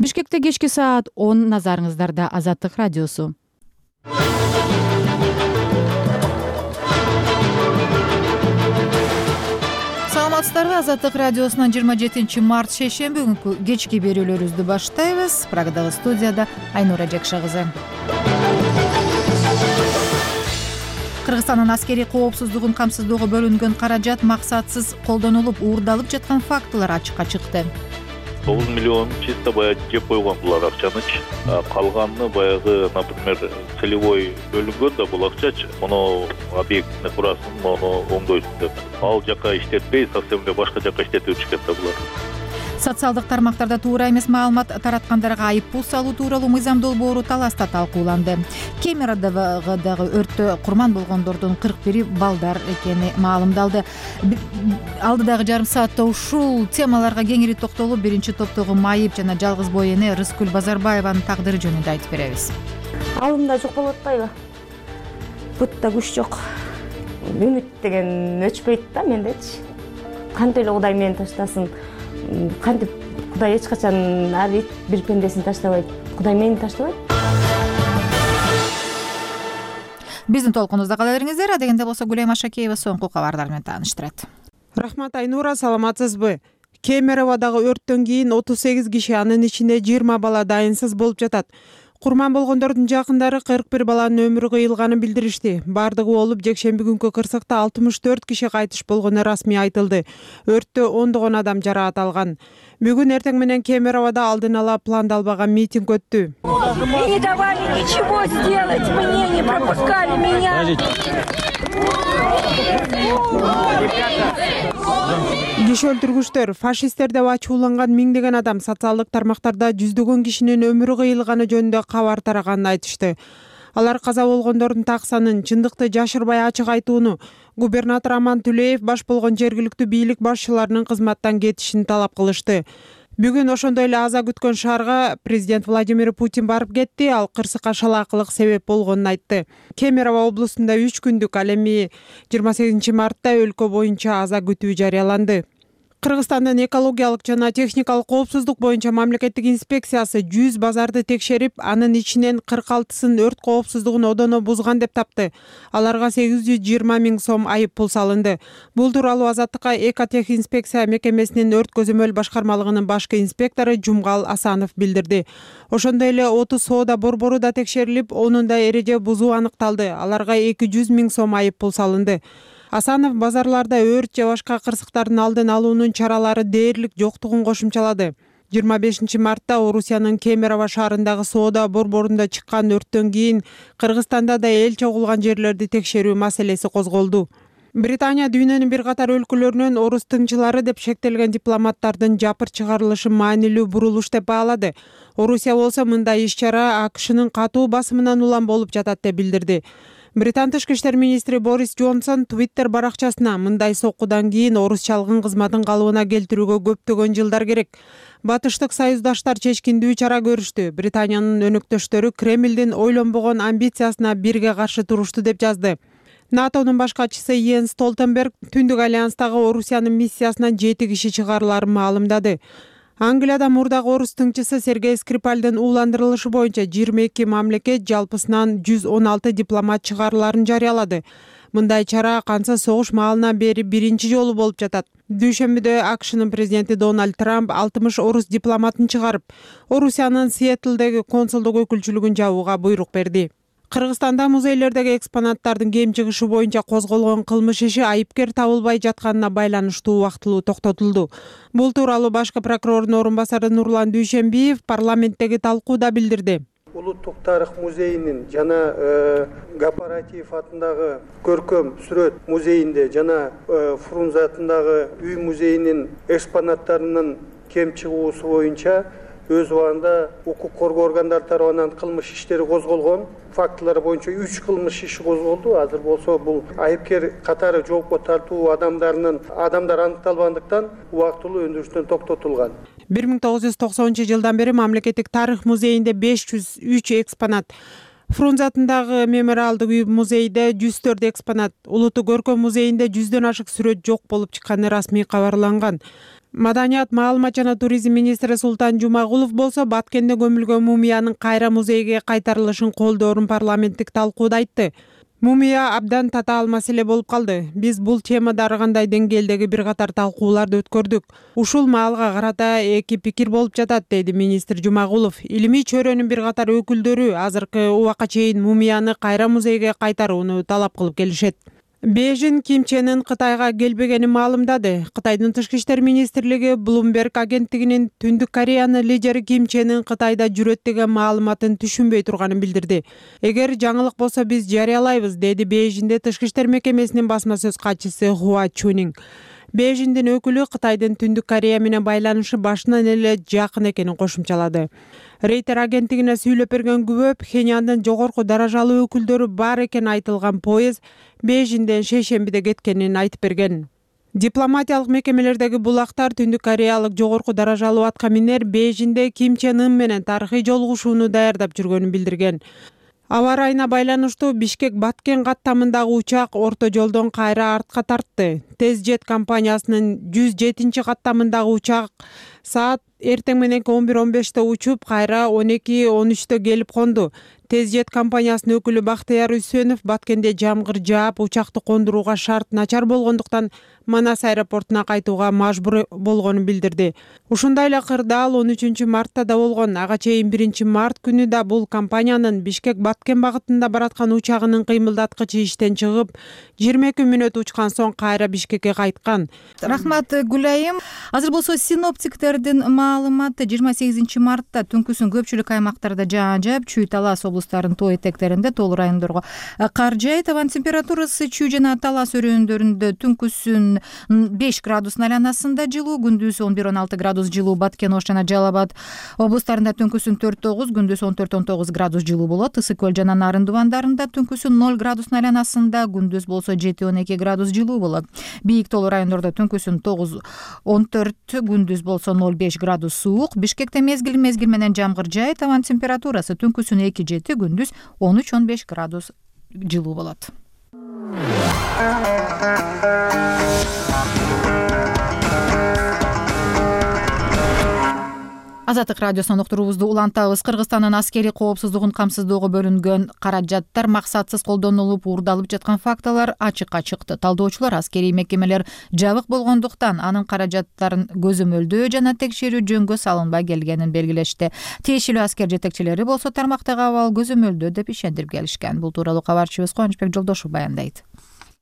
Бишкекте кечки саат 10, назарыңыздарда Азаттык радиосу. Саламатсыздарбы? Азаттык радиосунан 27 март шейшемби күнкү кечки берүүлөрүбүздү баштайбыз. Прагадагы студияда Айнура Жакша кызы. Кыргызстандын аскерий коопсуздугун камсыздоого бөлүнгөн каражат максатсыз колдонулуп, уурдалып жаткан фактылар ачыкка чыкты. 9 миллион чисто баягы жеп койгон булар акчанычы. Калганын баягы, например, целевой бөлүнгөн да бул акчачы. Муну объектини курасын, муну оңдойсун деп. Ал жака иштетпей, совсем эле башка жака иштетип жүрүшкөн да булар. Социалдык тармактарда туура эмес маалымат тараткандарга айыппул салуу тууралуу мыйзам долбоору таласта талкууланды. Кемерадагы өрттө курман болгондордун 41 балдар экени маалымдалды. Алдыдагы жарым саатта ушул темаларга кеңири токтолуп, биринчи топтогу майып жана жалгыз бой эне Рыскүл Базарбаеванын тагдыры жөнүндө айтып беребиз. Алымда жок болуп атпайбы? Бутта күч жок. Үмүт деген өчпөйт да мендечи. Кантип эле Кудай мени таштасын? Кантип Кудай эч качан ар бир пендесин таштабайт. Кудай мени таштабайт. Биздин толкунубузда кала бериңиздер. Адегенде болсо Гүлайым Ашакеева соңку кабардар менен тааныштырат. Рахмат Айнура, саламатсызбы? Кемероводагы өрттөн кийин 38 киши, анын ичинде 20 бала дайынсыз болуп жатат. Курман болгондордун жакындары 41 баланын өмүрү кыйылганын билдиришти. Бардыгы болуп, жекшемби күнкү кырсыкта 64 киши кайтыш болгону расмий айтылды. Өрттө ондогон адам жараат алган. Бүгүн эртең менен Кемероводо алдын ала пландалбаган митинг өттү. Не давали ничего сделать, мне не пропускали меня. Киши өлтүргүчтөр, фашисттер деп ачууланган миңдеген адам социалдык тармактарда жүздөгөн кишинин өмүрү кыйылганы жөнүндө кабар тараганын айтышты. Алар каза болгондордун так санын, чындыкты жашырбай ачык айтууну, губернатор Аман Түлеев баш болгон жергиликтүү бийлик башчыларынын кызматтан кетишин талап кылышты. Бүгүн ошондой эле аза күткөн шаарга президент Владимир Путин барып кетти. Ал кырсыкка шалаакылык себеп болгонун айтты. Кемерово облусунда 3 күндүк, ал эми 28 мартта өлкө боюнча аза күтүү жарыяланды. Кыргызстандын экологиялык жана техникалык коопсуздук боюнча мамлекеттик инспекциясы 100 базарды текшерип, анын ичинен 46сын өрт коопсуздугун одоно бузган деп тапты. Аларга 820 000 сом айып пул салынды. Бул тууралуу Азаттыкка Экотехинспекция мекемесинин өрт көзөмөл башкармалыгынын башкы инспектору Жумгал Асанов билдирди. Ошондой эле 30 соода борбору да текшерилип, онун да эреже бузуу аныкталды. Аларга 200 000 сом айып пул салынды. Асанов базарларда өрт же башка кырсыктардын алдын алуунун чаралары дээрлик жоктугун кошумчалады. 25 мартта Орусиянын Кемерово шаарындагы соода борборунда чыккан өрттөн кийин Кыргызстанда да эл чогулган жерлерди текшерүү маселеси козголду. Британия дүйнөнүн бир катар өлкөлөрүнөн орус тыңчылары деп шектелген дипломаттардын жапыр чыгарылышы маанилүү бурулуш деп баалады. Орусия болсо мындай иш-чара АКШнын катуу басымынан улам болуп жатат деп билдирди. Британ тышкы иштер министри Борис Джонсон Twitter баракчасына мындай соккудан кийин орус чалгын кызматын калыбына келтирүүгө көптөгөн жылдар керек. Батыштык союздаштар чечкиндүү чара көрүштү. Британиянын өнөктөштөрү Кремлдин ойлонбогон амбициясына бирге каршы турушту деп жазды. НАТОнун баш катчысы Йенс Столтенберг Түндүк альянстагы Орусиянын миссиясынан 7 киши чыгарыларын маалымдады. Англияда мурдагы орус тыңчысы Сергей Скрипальдын ууландырылышы боюнча 22 мамлекет жалпысынан 116 дипломат чыгарыларын жарыялады. Мындай чара канча согуш маалынан бери биринчи жолу болуп жатат. Дүйшөмбүдө АКШнын президенти Дональд Трамп 60 орус дипломатын чыгарып, Орусиянын Сиэтлдеги консулдук өкүлчүлүгүн жабууга буйрук берди. Кыргызстанда музейлердеги экспонаттардын кем чыгышы боюнча козголгон кылмыш иши айыпкер табылбай жатканына байланыштуу убактылуу токтотулду. Бул тууралуу башкы прокурордун орун басары Нурлан Дүйшөмбиев парламенттеги талкууда билдирди. Улуттук тарых музейинин жана Гапаратиев атындагы көркөм сүрөт музейинде жана Фрунзе атындагы үй музейинин экспонаттарынын кем чыгуусу боюнча өз убагында укук коргоо органдары тарабынан кылмыш иштери козголгон. Фактылар боюнча 3 кылмыш иши козголду. Азыр болсо бул айыпкер катары жоопко тартуу адамдар аныкталбагандыктан убактылуу өндүрүштөн токтотулган. 1990 жылдан бери мамлекеттик тарых музейинде 503 экспонат, Фрунзе атындагы мемориалдык үй музейде 104 экспонат, Улуттук көркөм музейинде 100дөн ашык сүрөт жок болуп чыкканы расмий кабарланган. Маданият, маалымат жана туризм министри Султан Жумагулов болсо Баткенде көмүлгөн мумиянын кайра музейге кайтарылышын колдоорун парламенттик талкууда айтты. Мумия абдан татаал маселе болуп калды. Биз бул темада ар кандай деңгээлдеги бир катар талкууларды өткөрдүк. Ушул маалга карата эки пикир болуп жатат, деди министр Жумагулов. Илимий чөйрөнүн бир катар өкүлдөрү азыркы убакка чейин мумияны кайра музейге кайтарууну талап кылып келишет. Бейжин Ким Чен Ын Кытайга келбегенин маалымдады. Кытайдын тышкы иштер министрлиги Bloomberg агенттигинин Түндүк Кореянын лидери Ким Чен Ын Кытайда жүрөт деген маалыматын түшүнбөй турганын билдирди. Эгер жаңылык болсо биз жарыялайбыз, деди Бейжинде тышкы иштер мекемесинин басма сөз катчысы Хуа Чунинг. Бейжиндин өкүлү Кытайдын Түндүк Корея менен байланышы башынан эле жакын экенин кошумчалады. Рейтер агенттигине сүйлөп берген күбө Пхеньяндын жогорку даражалуу өкүлдөрү бар экени айтылган поезд Бейжинден шейшембиде кеткенин айтып берген. Дипломатиялык мекемелердеги булактар Түндүк Кореялык жогорку даражалуу атка минер Бейжинде Ким Чен Ын менен тарыхый жолугушууну даярдап жүргөнүн билдирген. Аба ырайына байланыштуу Бишкек Баткен каттамындагы учак орто жолдон кайра артка тартты. Тез-жет компаниясынын 107 каттамындагы учак саат эртең мененки 11:15 учуп, кайра 12:13 келип конду. Тез-жет компаниясынын өкүлү Бактыяр Үсөнов Баткенде жамгыр жаап, учакты кондурууга шарт начар болгондуктан Манас аэропортуна кайтууга мажбур болгонун билдирди. Ушундай эле кырдаал 13 мартта да болгон. Ага чейин 1 март күнү да бул компаниянын Бишкек Баткен багытында бараткан учагынын кыймылдаткычы иштен чыгып, 22 мүнөт учкан соң кайра Бишкекке кайткан. Рахмат Гүлайым. Азыр болсо синоптиктердин маалыматы 28 мартта түнкүсүн көпчүлүк аймактарда жаан жаап, Чүй Талас облустарынын тоо этектеринде, тоолуу райондорго кар жаайт. Абанын температурасы Чүй жана Талас өрөөндарында түнкүсүн 5 градус айланасында жылуу, күндүз 11-16 градус жылуу. Баткен, Ош жана Жалал Абад облустарында түнкүсүн 4-9, күндүз 14-19 градус жылуу болот. Ысык Көл жана Нарын дубандарында түнкүсүн 0 градус айланасында, күндүз болсо 7-12 градус жылуу болот. Бийик тоолуу райондордо түнкүсүн 9-14, күндүз болсо 0-5 градус суук. Бишкекте мезгил менен жамгыр жаайт. Абанын температурасы түнкүсүн 2-7, күндүз 13-15 градус жылуу болот. Азаттык радиосунан уктуруубузду улантабыз. Кыргызстандын аскери коопсуздугун камсыздоого бөлүнгөн каражаттар максатсыз колдонулуп, уурдалып жаткан фактылар ачыкка чыкты. Талдоочулар аскерий мекемелер жабык болгондуктан анын каражаттарын көзөмөлдөө жана текшерүү жөнгө салынбай келгенин белгилешти. Тиешелүү аскер жетекчилери болсо тармактагы абал көзөмөлдөө деп ишендирип келишкен. Бул тууралуу кабарчыбыз Кубанычбек Жолдошов баяндайт.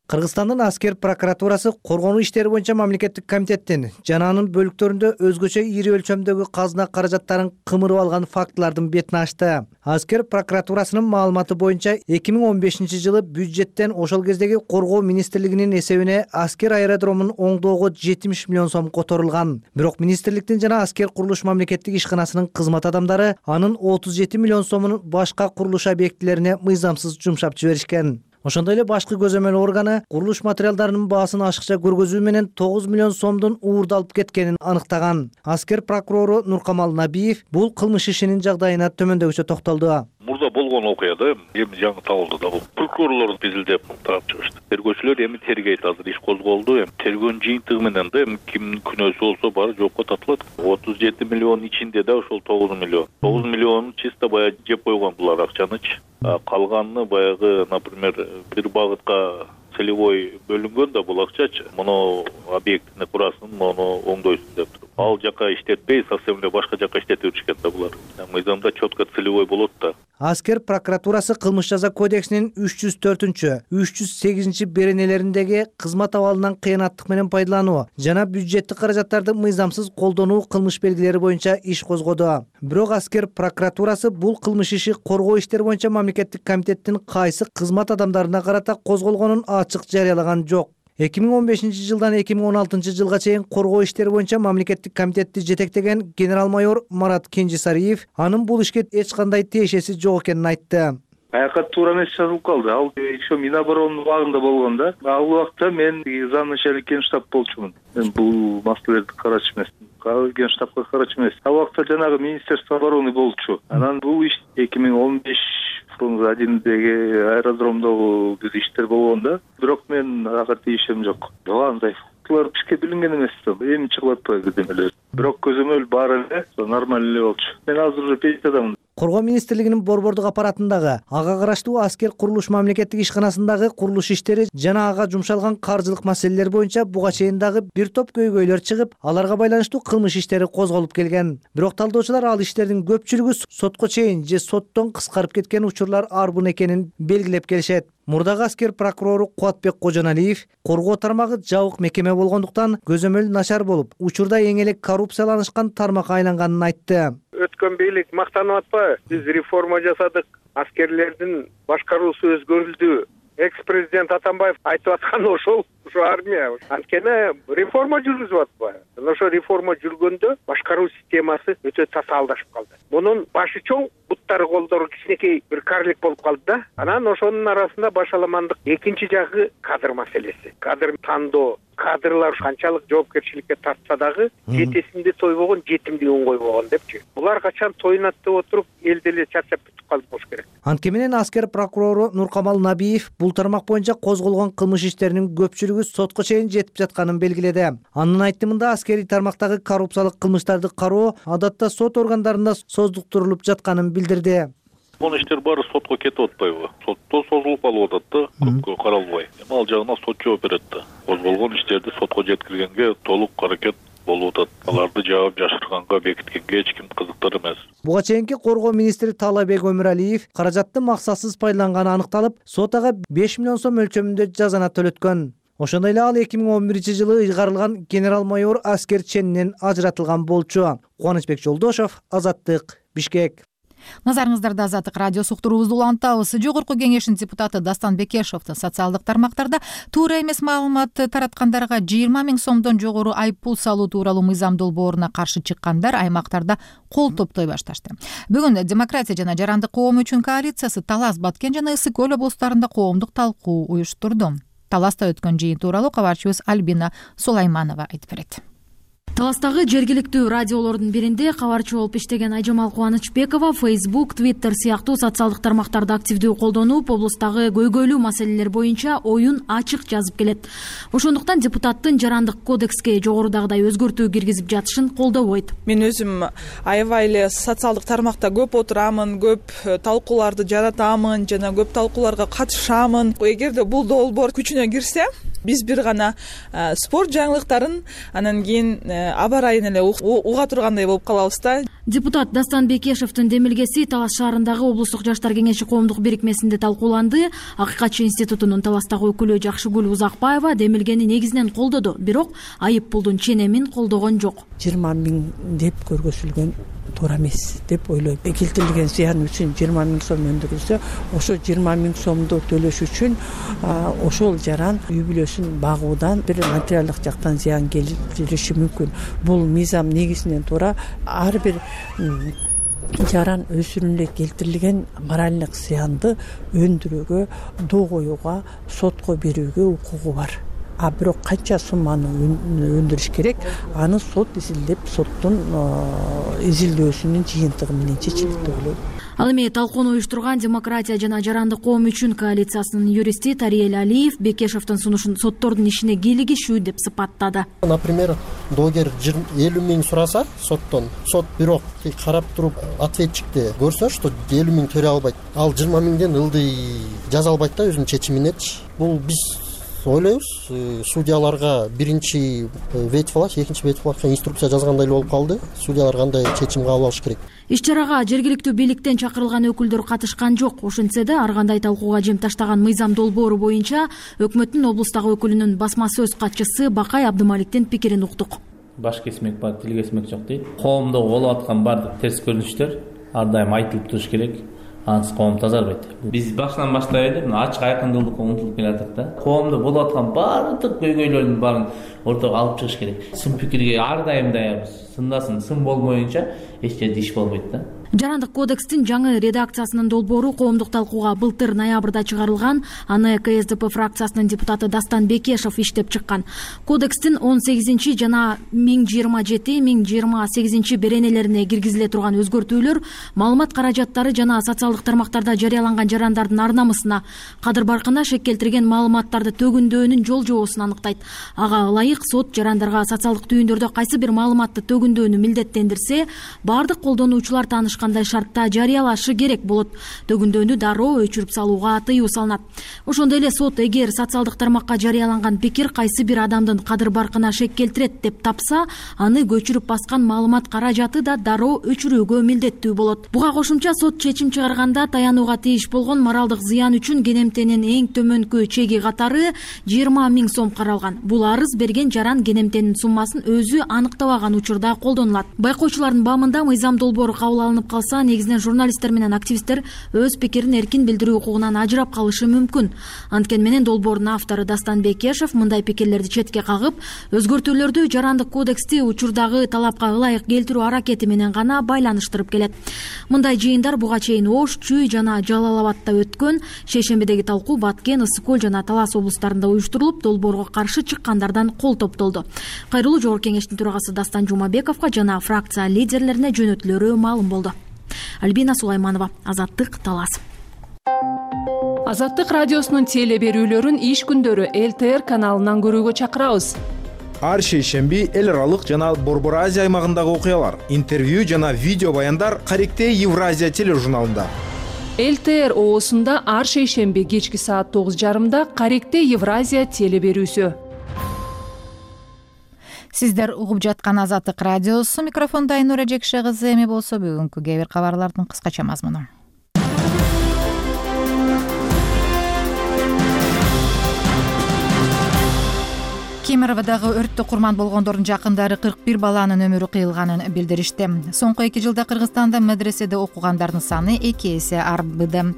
Кыргызстандын аскер прокуратурасы коргонуу иштери боюнча мамлекеттик комитеттин жана анын бөлүктөрүндө өзгөчө ири өлчөмдөгү казына каражаттарын кымырып алган фактылардын бетин ачты. Аскер прокуратурасынын маалыматы боюнча 2015 жылы бюджеттен ошол кездеги коргоо министрлигинин эсебине аскер аэродромун оңдоого 70 миллион сом которулган. Бирок министрликтин жана аскер курулуш мамлекеттик ишканасынын кызмат адамдары анын 37 миллион сомун башка курулуш объектилерине мыйзамсыз жумшап жиберишкен. Ошондой эле башкы көзөмөл органы курулуш материалдарынын баасын ашыкча көргөзүү менен 9 миллион сомдун уурдалып кеткенин аныктаган. Аскер прокурору Нуркамал Набиев бул кылмыш ишинин жагдайына төмөндөгүчө токтолду. Мурда болгон окуяда эми жаңы табылды да бул. Прокурорлор изилдеп тарап чыгышты. Тергөөчүлөр эми тергейт, азыр иш козголду. Эми тергөөнүн жыйынтыгы менен да эми кимдин күнөөсү болсо баары жоопко тартылат. 37 миллион ичинде да ошол 9 миллион. 9 миллион чисто баягы жеп койгон булар акчанычы. Калганын баягы, например, бир багытка целевой бөлүнгөн да бул акчачы. Муну объектини курасың, муну оңдойсуң деп туруп. Ал жака иштетпей, совсем эле башка жака иштетип жүрүшкен да булар. Мыйзамда четко целевой болот да. Аскер прокуратурасы кылмыш жаза кодексинин 304, 308 беренелериндеги кызмат абалынан кыянаттык менен пайдалануу жана бюджеттик каражаттарды мыйзамсыз колдонуу кылмыш белгилери боюнча иш козгоду. Бирок аскер прокуратурасы бул кылмыш иши коргоо иштери боюнча мамлекеттик комитеттин кайсы кызмат адамдарына карата козголгонун ачык жарыялаган жок. 2015 жылдан 2016 жылга чейин коргоо иштери боюнча мамлекеттик комитетти жетектеген генерал-майор Марат Кенжесариев анын бул ишке эч кандай тиешеси жок экенин айтты. Аякка туура эмес жазылып калды. Ал еще Миноборонунун убагында болгон да. Ал убакта мен замначальник генштаб болчумун. Мен бул маселелерди карачу эмесмин. Генштабка карачу эмес. Ал убакта жанагы Министерство обороны болчу. Анан бул иш 2015 1-деги аэродромдогу иштер болгон да. Бирок мен ага тийишем жок. Жок, андай фактылар бизге билинген эмес да, эми чыгып атпайбы демелер. Бирок көзөмөл бар эле, нормаль эле болчу. Мен азыр уже пенсиядамын. Коргоо министрлигинин борбордук аппаратындагы ага караштуу аскер курулуш мамлекеттик ишканасындагы курулуш иштери жана ага жумшалган каржылык маселелер боюнча буга чейин дагы бир топ көйгөйлөр чыгып, аларга байланыштуу кылмыш иштери козголуп келген. Бирок талдоочулар ал иштердин көпчүлүгү сотко чейин же соттон кыскарып кеткен учурлар арбын экенин белгилеп келишет. Мурдагы аскер прокурору Кубатбек Кожоналиев коргоо тармагы жабык мекеме болгондуктан көзөмөл начар болуп, учурда эң эле коррупцияланышкан тармакка айланганын айтты. Өткөн бийлик мактанып атпайбы? Биз реформа жасадык, аскерлердин башкаруусу өзгөрүлдү. Экс-президент Атамбаев айтып аткан ошол армия. Анткени реформа жүргүзүп атпайбы? Ошо реформа жүргөндө башкаруу системасы өтө татаалдашып калды. Мунун башы чоң, буттары колдору кичинекей бир карлик болуп калды да. Анан ошонун арасында башаламандык экинчи жагы кадр маселеси. Кадр тандоо, кадрлар канчалык жоопкерчиликке тартса дагы жетесинде тойбогон, жетимдигин койбогон депчи. Булар качан тоюнат деп отуруп, эл деле чарчап бүтүп калды болуш керек. Антке менен аскер прокурору Нуркамал Набиев бул тармак боюнча козголгон кылмыш иштеринин көпчүлүгү сотко чейин жетип жатканын белгиледи. Анын айтымында аскерий тармактагы коррупциялык кылмыштарды кароо адатта сот органдарында создуктурулуп жатканын билдирди. Бул иштер баары сотко кетип атпайбы? Сотто созулуп калып атат да, көпкө каралбай. Ал жагына сот жооп берет да. Козголгон иштерди сотко жеткиргенге толук аракет болуп атат. Аларды жаап жашырганга, бекиткенге эч ким кызыктар эмес. Буга чейинки коргоо министри Таалайбек Өмүралиев каражатты максатсыз пайдаланганы аныкталып, сот ага 5 миллион сом өлчөмүндө жазана төлөткөн. Ошондой эле ал 2011-жылы ыйгарылган генерал-майор аскер ченинен ажыратылган болчу. Кубанычбек Жолдошов, Азаттык, Бишкек. Назарыңыздарда Азаттык радиосу уктуруубузду улантабыз. Жогорку кеңештин депутаты Дастан Бекешевдин социалдык тармактарда туура эмес маалымат тараткандарга 20 000 сомдон жогору айыппул салуу тууралуу мыйзам долбооруна каршы чыккандар аймактарда кол топтой башташты. Бүгүн Демократия жана Жарандык коом үчүн коалициясы Талас, Баткен жана Ысык көл облустарында коомдук талкуу уюштурду. Таласта өткөн жыйын тууралуу кабарчыбыз Альбина Сулайманова айтып берет. Таластагы жергиликтүү радиолордун биринде кабарчы болуп иштеген Айжамал Кубанычбекова Facebook, Twitter сыяктуу социалдык тармактарды активдүү колдонуп, облустагы көйгөйлүү маселелер боюнча оюн ачык жазып келет. Ошондуктан депутаттын Жарандык кодекске жогорудагыдай өзгөртүү киргизип жатышын колдобойт. Мен өзүм аябай эле социалдык тармакта көп отурамын, көп талкууларды жаратамын жана көп талкууларга катышамын. Эгерде бул долбоор күчүнө кирсе, биз бир гана спорт жаңылыктарын анан кийин аба ырайын эле уга тургандай болуп калабыз да. Депутат Дастан Бекешевдин демилгеси Талас шаарындагы облустук жаштар кеңеши коомдук бирикмесинде талкууланды. Акыйкатчы институтунун Таластагы өкүлү Жакшыгүл Узакбаева демилгени негизинен колдоду, бирок айып пулдун ченемин колдогон жок. 20 000 деп көргөзүлгөн туура эмес деп ойлойм. Келтирилген зыян үчүн 20 000 сом өндүрүлсө, ошо 20 000 сомду төлөш үчүн ошол жаран үй бүлөсүн багуудан бир материалдык жактан зыян келтириши мүмкүн. Бул мыйзам негизинен туура. Ар бир жаран өсүрүнүнө келтирилген моральдык зыянды өндүрүүгө, доо коюуга, сотко берүүгө укугу бар. Бирок канча сумманы өндүрүш керек, аны сот изилдеп, соттун изилдөөсүнүн жыйынтыгы менен чечилет деп ойлойм. Ал эми талкууну уюштурган Демократия жана Жарандык коом үчүн коалициясынын юристи Тариел Алиев Бекешевдин сунушун соттордун ишине кийлигишүү деп сыпаттады. Например, доогер 50 000 сураса соттон, сот бирок карап туруп ответчикти көрсө, что 50 000 төлөй албайт, ал 20 000ден ылдый жаза албайт да өзүнүн чечиминечи. Бул биз ойлойбуз, судьяларга биринчи ветфлаш, экинчи ветфлашка инструкция жазгандай болуп калды. Судьялар кандай чечим кабыл алыш керек. Иш-чарага жергиликтүү бийликтен чакырылган өкүлдөр катышкан жок. Ошентсе да, ар кандай талкууга жем таштаган мыйзам долбоору боюнча өкмөттүн облустагы өкүлүнүн басма сөз катчысы Бакай Абдымаликтин пикирин уктук. Баш кесмек бар, тил кесмек жок дейт. Коомдо болуп аткан бардык терс көрүнүштөр ар дайым айтылып туруш керек. Ансыз коом тазарбайт. Биз башынан баштап эле ачык айкындуулукка умтулуп келатык да. Коомдо болуп аткан бардык көйгөйлөрдүн баарын ортого алып чыгыш керек. Сын пикирге ар дайым даярбыз. Сындасын, сын болмоюнча эч жерде иш болбойт да. Жарандык кодекстин жаңы редакциясынын долбоору коомдук талкууга былтыр ноябрда чыгарылган. Аны КСДП фракциясынын депутаты Дастан Бекешев иштеп чыккан. Кодекстин 18 жана 1027-1028 беренелерине киргизиле турган өзгөртүүлөр маалымат каражаттары жана социалдык тармактарда жарыяланган жарандардын ар намысына, кадыр баркына шек келтирген маалыматтарды төгүндөөнүн жол жобосун аныктайт. Ага ылайык сот жарандарга социалдык түйүндөрдө кайсы бир маалыматты төгүндөөнү милдеттендирсе, бардык колдонуучулар таанышкандай шартта жарыялашы керек болот. Төгүндөөнү дароо өчүрүп салууга тыюу салынат. Ошондой эле сот эгер социалдык тармакка жарыяланган пикир кайсы бир адамдын кадыр баркына шек келтирет деп тапса, аны көчүрүп баскан маалымат каражаты да дароо өчүрүүгө милдеттүү болот. Буга кошумча сот чечим чыгарганда таянууга тийиш болгон моралдык зыян үчүн кенемтенин эң төмөнкү чеги катары 20 000 сом каралган. Бул арыз берген жаран кенемтенин суммасын өзү аныктабаган учурда колдонулат. Байкоочулардын баамында мыйзам долбоору кабыл алынып калса, негизинен журналисттер менен активисттер өз пикирин эркин билдирүү укугунан ажырап калышы мүмкүн. Анткени менен долбоордун автору Дастан Бекешев мындай пикирлерди четке кагып, өзгөртүүлөрдү жарандык кодексти учурдагы талапка ылайык келтирүү аракети менен гана байланыштырып келет. Мындай жыйындар буга чейин Ош, Чүй жана Жалал Абадта өткөн. Шейшембидеги талкуу Баткен, Ысык Көл жана Талас облустарында уюштурулуп, долбоорго каршы чыккандардан кол топтолду. Кайрылуу Жогорку Кеңештин төрагасы Дастан Жумабековго жана фракция лидерлерине жөнөтүлөрү маалым болду. Альбина Сулайманова, Азаттык, Талас. Азаттык радиосунун теле берүүлөрүн иш күндөрү ЛТР каналынан көрүүгө чакырабыз. Ар шейшемби эл аралык жана Борбор Азия аймагындагы окуялар, интервью жана видео баяндар Каректе Евразия тележурналында. ЛТР оосунда ар шейшемби кечки саат 9:30 Каректе Евразия теле берүүсү. Сиздер угуп жаткан Азаттык радиосу, микрофонда Айнура Жекше кызы. Эми болсо бүгүнкү кээ бир кабарлардын кыскача мазмуну. Кемеровдагы өрттө курман болгондордун жакындары 41 баланын өмүрү кыйылганын билдиришти. Соңку 2 жылда Кыргызстанда медреседе окугандардын саны 2 эсе артты.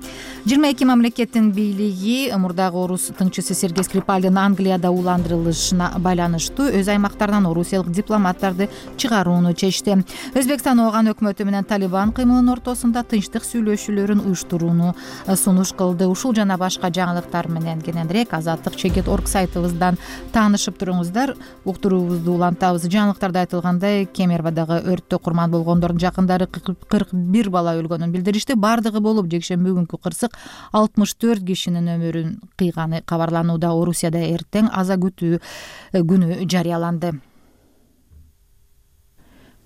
22 мамлекеттин бийлиги мурдагы орус тыңчысы Сергей Скрипальдын Англияда уландырылышына байланыштуу өз аймактарынан орусиялык дипломаттарды чыгарууну чечти. Өзбекстан ооган өкмөтү менен Талибан кыймылынын ортосунда тынчтык сүйлөшүүлөрүн уюштурууну сунуш кылды. Ушул жана башка жаңылыктар менен кененирээк Азаттык.org сайтыбыздан таанышып туруңуздар. Уктуруубузду улантабыз. Жаңылыктарда айтылгандай, Кемеровдагы өрттө курман болгондордун жакындары 41 бала өлгөнүн билдиришти. Бардыгы болуп жекшемби күнкү кырсык 64 кишинин өмүрүн кыйганы кабарланууда. Орусияда эртең аза күтүү күнү жарыяланды.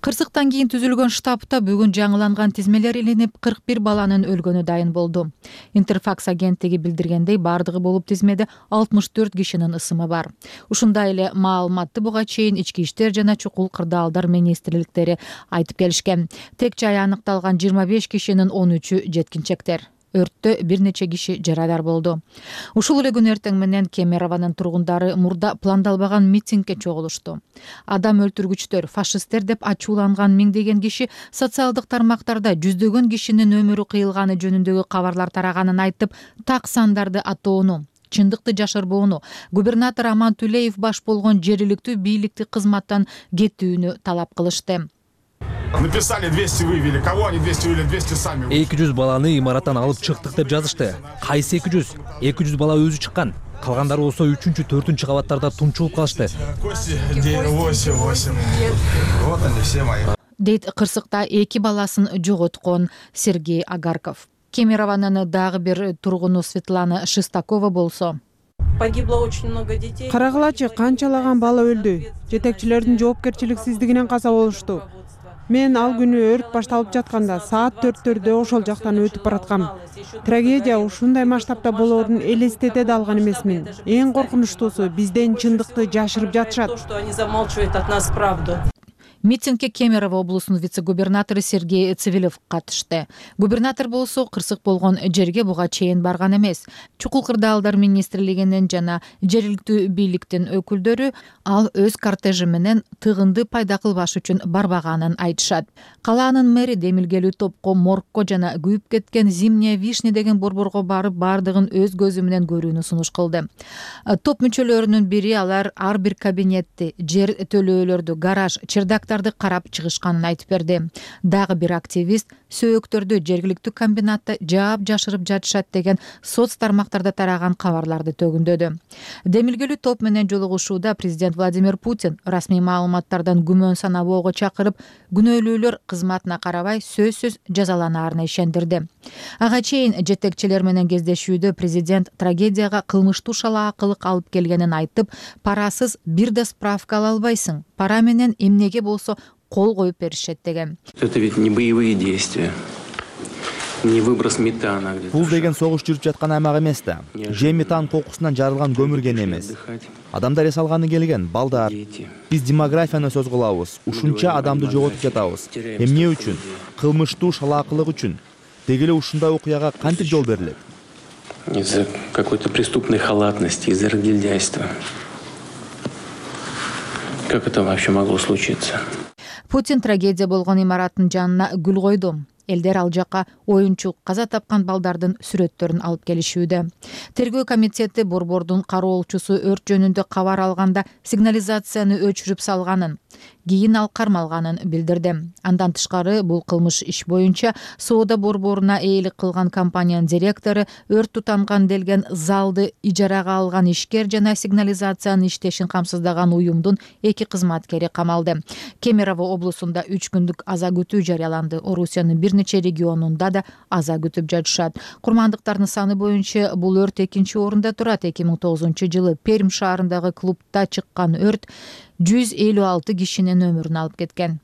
Кырсыктан кийин түзүлгөн штабта бүгүн жаңыланган тизмелер илинип, 41 баланын өлгөнү дайын болду. Интерфакс агенттиги билдиргендей, бардыгы болуп тизмеде 64 кишинин ысымы бар. Ушундай эле маалыматты буга чейин ички иштер жана чукул кырдаалдар министрликтери айтып келишкен. Тек жай аныкталган 25 кишинин 13-ү жеткинчектер. Өрттө бир нече киши жарадар болду. Ушул эле күн эртең менен Кемерованын тургундары мурда пландалбаган митингге чогулушту. Адам өлтүргүчтөр, фашисттер деп ачууланган миңдеген киши социалдык тармактарда жүздөгөн кишинин өмүрү кыйылганы жөнүндөгү кабарлар тараганын айтып, так сандарды атоону, чындыкты жашырбоону, губернатор Аман Түлеев баш болгон жергиликтүү бийликти кызматтан кетүүнү талап кылышты. Написали 200 вывели. Кого они 200 вывели? 200 сами. 200 баланы имараттан алып чыктык деп жазышты. Кайсы 200? 200 бала өзү чыккан. Калгандары болсо 3-4 кабаттарда тунчулуп калышты. 8. Вот они все мои. Дейт кырсыкта 2 баласын жоготкон Сергей Агарков. Кемерованын дагы бир тургуну Светлана Шестакова болсо. Погибло очень много детей. Карагылачы канчалаган бала өлдү. Жетекчилердин жоопкерчиликсиздигинен каза болушту. Мен ал күнү өрт башталып жатканда саат 4-төрдө ошол жактан өтүп бараткам. Трагедия ушундай масштабта болоорун элестете да алган эмесмин. Эң коркунучтуусу бизден чындыкты жашырып жатышат. Что они замалчивают от нас правду. Митингге Кемерово облусунун вице-губернатору Сергей Цивилев катышты. Губернатор болсо кырсык болгон жерге буга чейин барган эмес. Чукул кырдаалдар министрлигинин жана жергиликтүү бийликтин өкүлдөрү ал өз кортежи менен тыгынды пайда кылбаш үчүн барбаганын айтышат. Калаанын мэри демилгелүү топко моргко жана күйүп кеткен Зимняя вишня деген борборго барып бардыгын өз көзү менен көрүүнү сунуш кылды. Топ мүчөлөрүнүн бири алар ар бир кабинетти, жер төлөөлөрдү, гараж, чердактарды материалдарды карап чыгышканын айтып берди. Дагы бир активист сөөктөрдү жергиликтүү комбинатта жаап жашырып жатышат деген соц тармактарда тараган кабарларды төгүндөдү. Демилгелүү топ менен жолугушууда президент Владимир Путин расмий маалыматтардан күмөн санабоого чакырып, күнөөлүүлөр кызматына карабай сөзсүз жазаланаарына ишендирди. Ага чейин жетекчилер менен кездешүүдө президент трагедияга кылмыштуу шалаакылык алып келгенин айтып, парасыз бир да справка ала албайсың, пара менен эмнеге болсо кол коюп беришет деген. Это ведь не боевые действия. Не выброс метана. Бул деген согуш жүрүп жаткан аймак эмес да. Же метан кокусунан жарылган көмүрген эмес. Адамдар эс алганы келген, балдар. Биз демографияны сөз кылабыз. Ушунча адамды жоготуп жатабыз. Эмне үчүн? Кылмыштуу шалаакылык үчүн. Деги эле ушундай окуяга кантип жол берилет? Из-за какой-то преступной халатности, из-за разгильдяйства. Как это вообще могло случиться? Путин трагедия болгон имараттын жанына гүл койду. Элдер ал жака оюнчу каза тапкан балдардын сүрөттөрүн алып келишүүдө. Тергөө комитети борбордун кароолчусу өрт жөнүндө кабар алганда сигнализацияны өчүрүп салганын, кийин ал кармалганын билдирди. Андан тышкары бул кылмыш иш боюнча соода борборуна ээлик кылган компаниянын директору, өрт тутанган делген залды ижарага алган ишкер жана сигнализациянын иштешин камсыздаган уюмдун 2 кызматкери камалды. Кемерово облусунда 3 күндүк аза күтүү жарыяланды. Орусиянын бир нече регионунда да аза күтүп жатышат. Курмандыктардын саны боюнча бул өрт 2-нчи орунда турат. 2009-жылы Пермь шаарындагы клубда чыккан өрт 156 кишинин өмүрүн алып кеткен.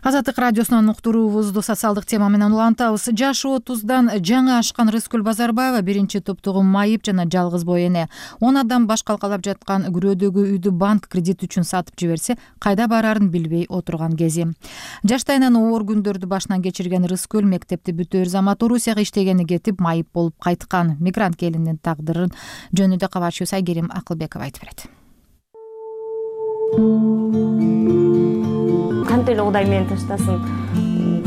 Азаттык радиосунун уктуруубузду социалдык тема менен улантабыз. Жашы 30дан жаңы ашкан Рыскүл Базарбаева биринчи топтогу майып жана жалгыз бой эне. 10 адам баш калкалап жаткан күрөөдөгү үйдү банк кредит үчүн сатып жиберсе, кайда барарын билбей отурган кези. Жаштайынан оор күндөрдү башынан кечирген Рыскүл мектепти бүтөөр замат Орусияга иштегени кетип, майып болуп кайткан. Мигрант келиндин тагдырын жөнүндө кабарчыбыз Айгерим Акылбеков айтып берет. Кантип эле Кудай мени таштасын,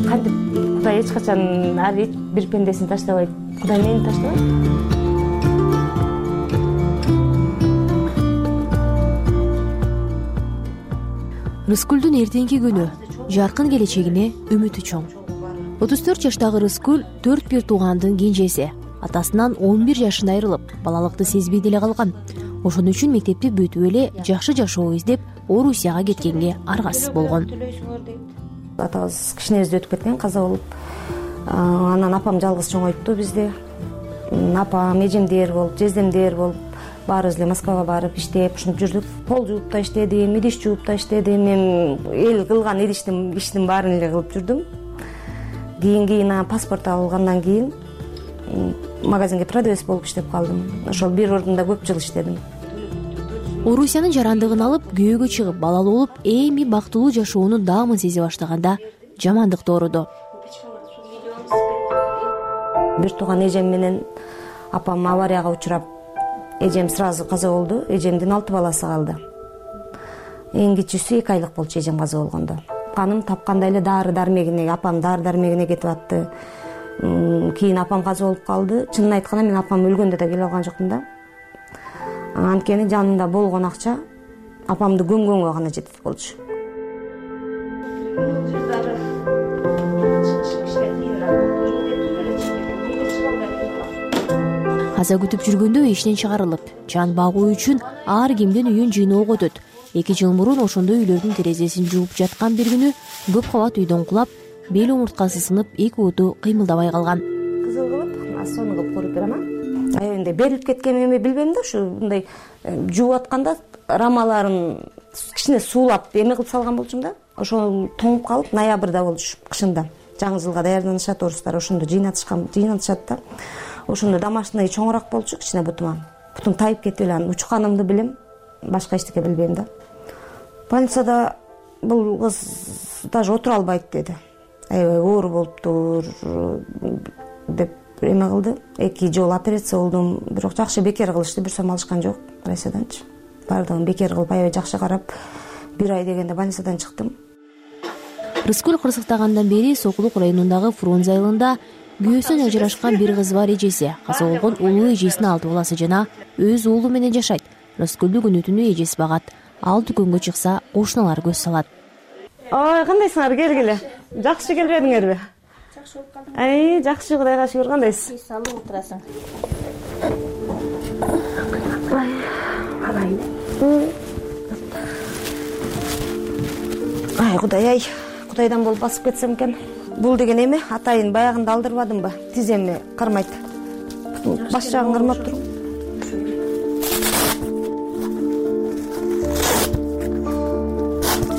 кантип Кудай эч качан ар бир пендесин таштабайт. Кудай мени таштабайт. Рыскүлдүн эртеңки күнү, жаркын келечегине үмүтү чоң. 34 жаштагы Рыскүл 4 бир туугандын кенжеси. Атасынан 11 жашында айрылып, балалыкты сезбей деле калган. Ошон үчүн мектепти бүтүп эле жакшы жашоо издеп Орусияга кеткенге аргасыз болгон. Атабыз кичинебизде өтүп кеткен, каза болуп. Анан апам жалгыз чоңойтtu бизди. Апам, эжемдер болуп, жездемдер болуп, баарыбыз эле Москвага барып иштеп, ушинтип жүрдүк. Пол жууп да иштедим, идиш жууп да иштедим. Мен эл кылган иштин баарын эле кылып жүрдүм. Кийин паспорт алгандан кийин магазинге продавец болуп иштеп калдым. Ошол бир ордунда көп жыл иштедим. Орусиянын жарандыгын алып, күйөөгө чыгып, балалуу болуп, эми бактылуу жашоонун даамын сезе баштаганда жамандык дооруду. Бир тууган эжем менен апам аварияга учурап, эжем сразу каза болду. Эжемдин 6 баласы калды. Эң кичүүсү 2 айлык болчу эжем каза болгондо. Каным тапкандай эле дары-дармегине, апам дары-дармегине кетип атты. Кийин апам каза болуп калды. Чынын айтканда мен апам өлгөндө да келе алган жокмун да. Анткени жанында болгон акча апамды көмгөнгө гана жетет болчу. Каза күтүп жүргөндө иштен чыгарылып, жан багуу үчүн ар кимдин үйүн жыйноого өтөт. 2 жыл мурун ошондой үйлөрдүн терезесин жууп жаткан бир күнү көп кабат үйдөн кулап, бел омурткасы сынып, 2 уту кыймылдабай калган. Кызыл кылып, сону кылып коруп берем. Аябай берилип кеткенин билбейм да, ушу мындай жууп атканда рамаларын кичине суулап эме кылып салган болчумун да. Ошол тоңуп калып, ноябрда болчу, кышында. Жаңы жылга даярданышат орустар, ошондо жыйнатышат да. Ошондо домашний чоңураак болчу, кичине бутума. Бутум тайып кетип эле, учканымды билем, башка эчтеке билбейм да. Больницада бул кыз даже отура албайт деди. Аябай оор болуптур деп эме кылды. 2 жолу операция болдум, бирок жакшы бекер кылышты, бир сом алышкан жок Россияданчы. Бардыгын бекер кылып, аябай жакшы карап, 1 ай дегенде больницадан чыктым. Рыскүл кырсыктагандан бери Сокулук районундагы Фрунзе айылында күйөөсүнөн ажырашкан бир кызы бар эжеси, каза болгон улуу эжесинин 6 баласы жана өз уулу менен жашайт. Рыскүлдү күнү-түнү эжеси багат. Ал дүкөнгө чыкса, кошуналар көз салат. Ой, кандайсыңар? Келгиле. Жакшы келбедиңерби? Жакшы болуп калдым. Жакшы, Кудайга шүгүр. Кандайсың? Салып отурасың. Кудай, Кудайдан болуп басып кетсем экен. Бул деген эме атайын баягында алдырбадымбы? Тиземми кармайт. Баш жагын кармап туруп.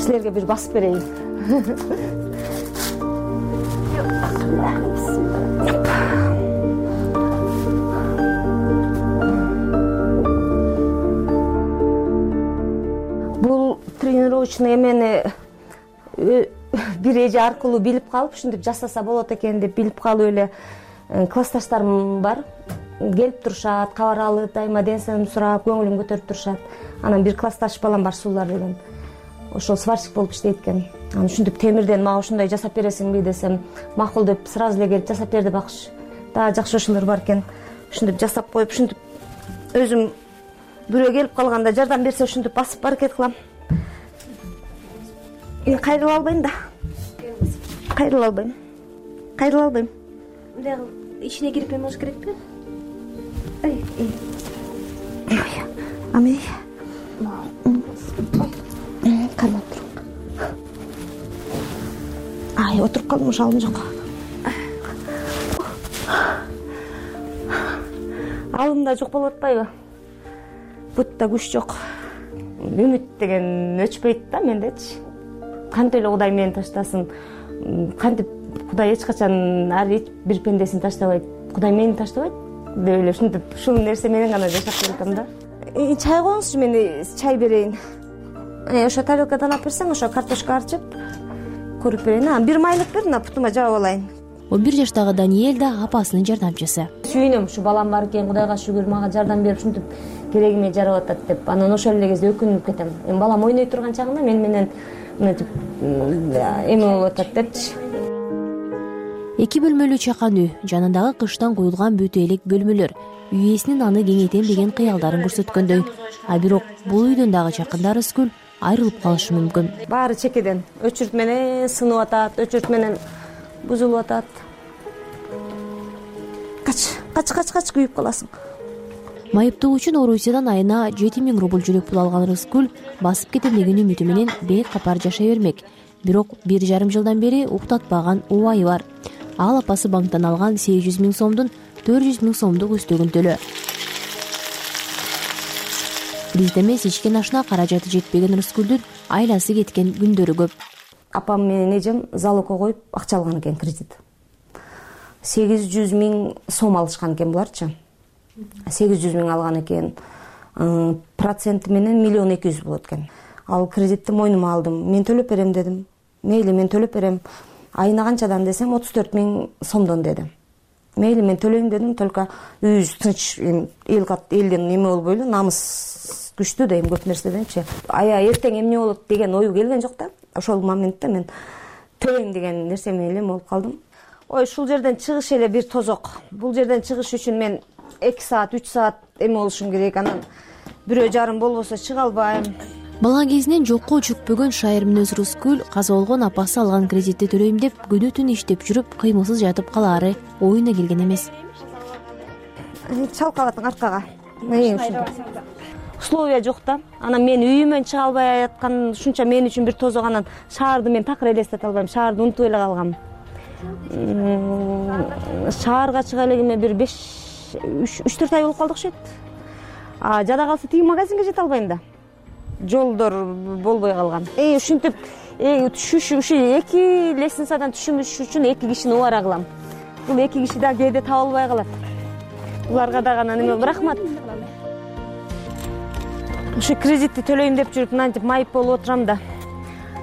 Силерге бир басып берейин. Бул тренировочный эмени бир эже аркылуу билип калып, ушинтип жасаса болот экен деп билип калып эле классташтарым бар. Келип турушат, кабар алып, дайыма ден соолугумду сурап, көңүлүм көтөрүп турушат. Анан бир классташ балам бар, Суулар деген. Ошол сварщик болуп иштейт экен. Анан ушинтип темирден мага ушундай жасап бересиңби десем, макул деп сразу эле келип жасап берди бакшы. Дагы жакшы ошолор бар экен. Ушинтип жасап коюп, ушинтип өзүм бирөө келип калганда жардам берсе ушинтип басып аракет кылам. Мен кайрыла албайм да. Кайрыла албайм. Мындай ичине кирип эмеш керекпи? Ами. Кармап тур. Отуруп калдым, шалым жок. Алымда жок болуп атпайбы? Бутта күч жок. Үмүт деген өчпөйт да мендечи. Кантип эле Кудай мени таштасын, кантип Кудай эч качан ар бир пендесин таштабайт, Кудай мени таштабайт деп эле ушинтип ушул нерсе менен гана жашап келатам да. Чай коюңузчу, мен чай берейин. Ошо тарелкадан алып берсең, ошо картошка арчып көрүп берейин. Бир майлык бер, мына путума жаап алайын. 11 жаштагы Даниэль да апасынын жардамчысы. Сүйүнөм, ушу балам бар экен, Кудайга шүгүр, мага жардам берип ушинтип керегиме жарап атат деп. Анан ошол эле кезде өкүнүп кетем. Эми балам ойной турган чагында мен менен мынтип эме болуп атат депчи. 2 бөлмөлүү чакан үй, жанындагы кыштан куюлган бүтө элек бөлмөлөр үй ээсинин аны кеңейтем деген кыялдарын көрсөткөндөй. А бирок бул үйдөн дагы жакында Рыскүл айрылып калышы мүмкүн. Баары чекеден өчүрт менен сынып атат, өчүрт менен бузулуп атат. Кач күйүп каласың. Майыптоо үчүн Орусиядан айына 7000 рубль жүрөк пул алган Рыскүл басып кетем деген үмүтү менен бек капар жашай бермек. Бирок 1,5 жылдан бери уктатпаган убайы бар. Ал апасы банктан алган 800 000 сомдун 400 000 сомдук үстөгүн төлөө. Бизде эмес ичкен ашына каражаты жетпеген Рыскүлдүн айласы кеткен күндөрү көп. Апам менен эжем залогко коюп акча алган экен, кредит. 800 000 сом алышкан экен буларчы. 800 000 алган экен. Проценти менен 1 200 000 болот экен. Ал кредитти мойнума алдым. Мен төлөп берем дедим. Мейли, мен төлөп берем. Айына канчадан десем 34 000 сомдон деди. Мейли, мен төлөйм дедим, только үйүбүз тынч, элден эме болбойлу, намыс күчтүү дейм көп нерседенчи. Эртең эмне болот деген ою келген жок да. Ошол моментте мен төлөйм деген нерсе менен эле болуп калдым. Ой, ушул жерден чыгыш эле бир тозок. Бул жерден чыгыш үчүн мен 2 саат, 3 саат эме болушум керек. Анан 1,5 болбосо чыга албайм. Бала кезинен жокко чүкпөгөн шайыр мүнөз Рыскүл каза болгон апасы алган кредитти төлөйм деп күнү түн иштеп жүрүп кыймылсыз жатып калаары оюна келген эмес. Чалкап атың аркага. Условия жок да. Анан мен үйүмөн чыга албай аткан ушунча мен үчүн бир тозок. Анан шаарды мен такыр элестете албайм. Шаарды унутуп эле калгам. Шаарга чыга элегиме бир 3-4 ай болуп калды окшойт. Жада калса тиги магазинге жете албайм да. Жолдор болбой калган. Ушинтип түшүш, ушу 2 лестницадан түшүш үчүн 2 кишини убара кылам. Бул 2 киши да кээде таба албай калат. Буларга дагы анан эме рахмат. Ушу кредитти төлөйм деп жүрүп мынтип майып болуп отурам да.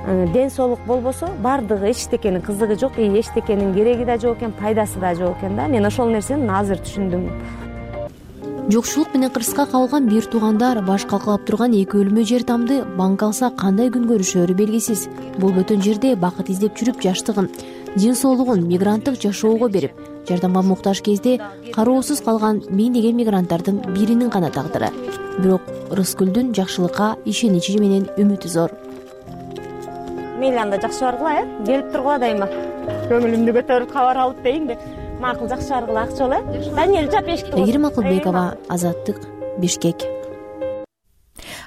Ден соолук болбосо бардыгы эчтекенин кызыгы жок, эчтекенин кереги да жок экен, пайдасы да жок экен да. Мен ошол нерсени азыр түшүндүм. Жокчулук менен кырсыкка кабылган бир туугандар баш калкалап турган 2 өлмө жер тамды банк алса кандай күн көрүшөрү белгисиз. Бул бөтөн жерде бакыт издеп жүрүп жаштыгын, ден соолугун мигранттык жашоого берип, жардамга муктаж кезде кароосуз калган миңдеген мигранттардын биринин гана тагдыры. Бирок Рыскүлдүн жакшылыкка ишеничи менен үмүтү зор. мейли анда жакшы баргыла, келип тургула дайыма. Көңүлүмдү көтөрүп кабар алып дейин деп. Макул, жакшы баргыла, акча боло. Даниэль жап эшикти. Айгерим Акылбекова, Азаттык, Бишкек.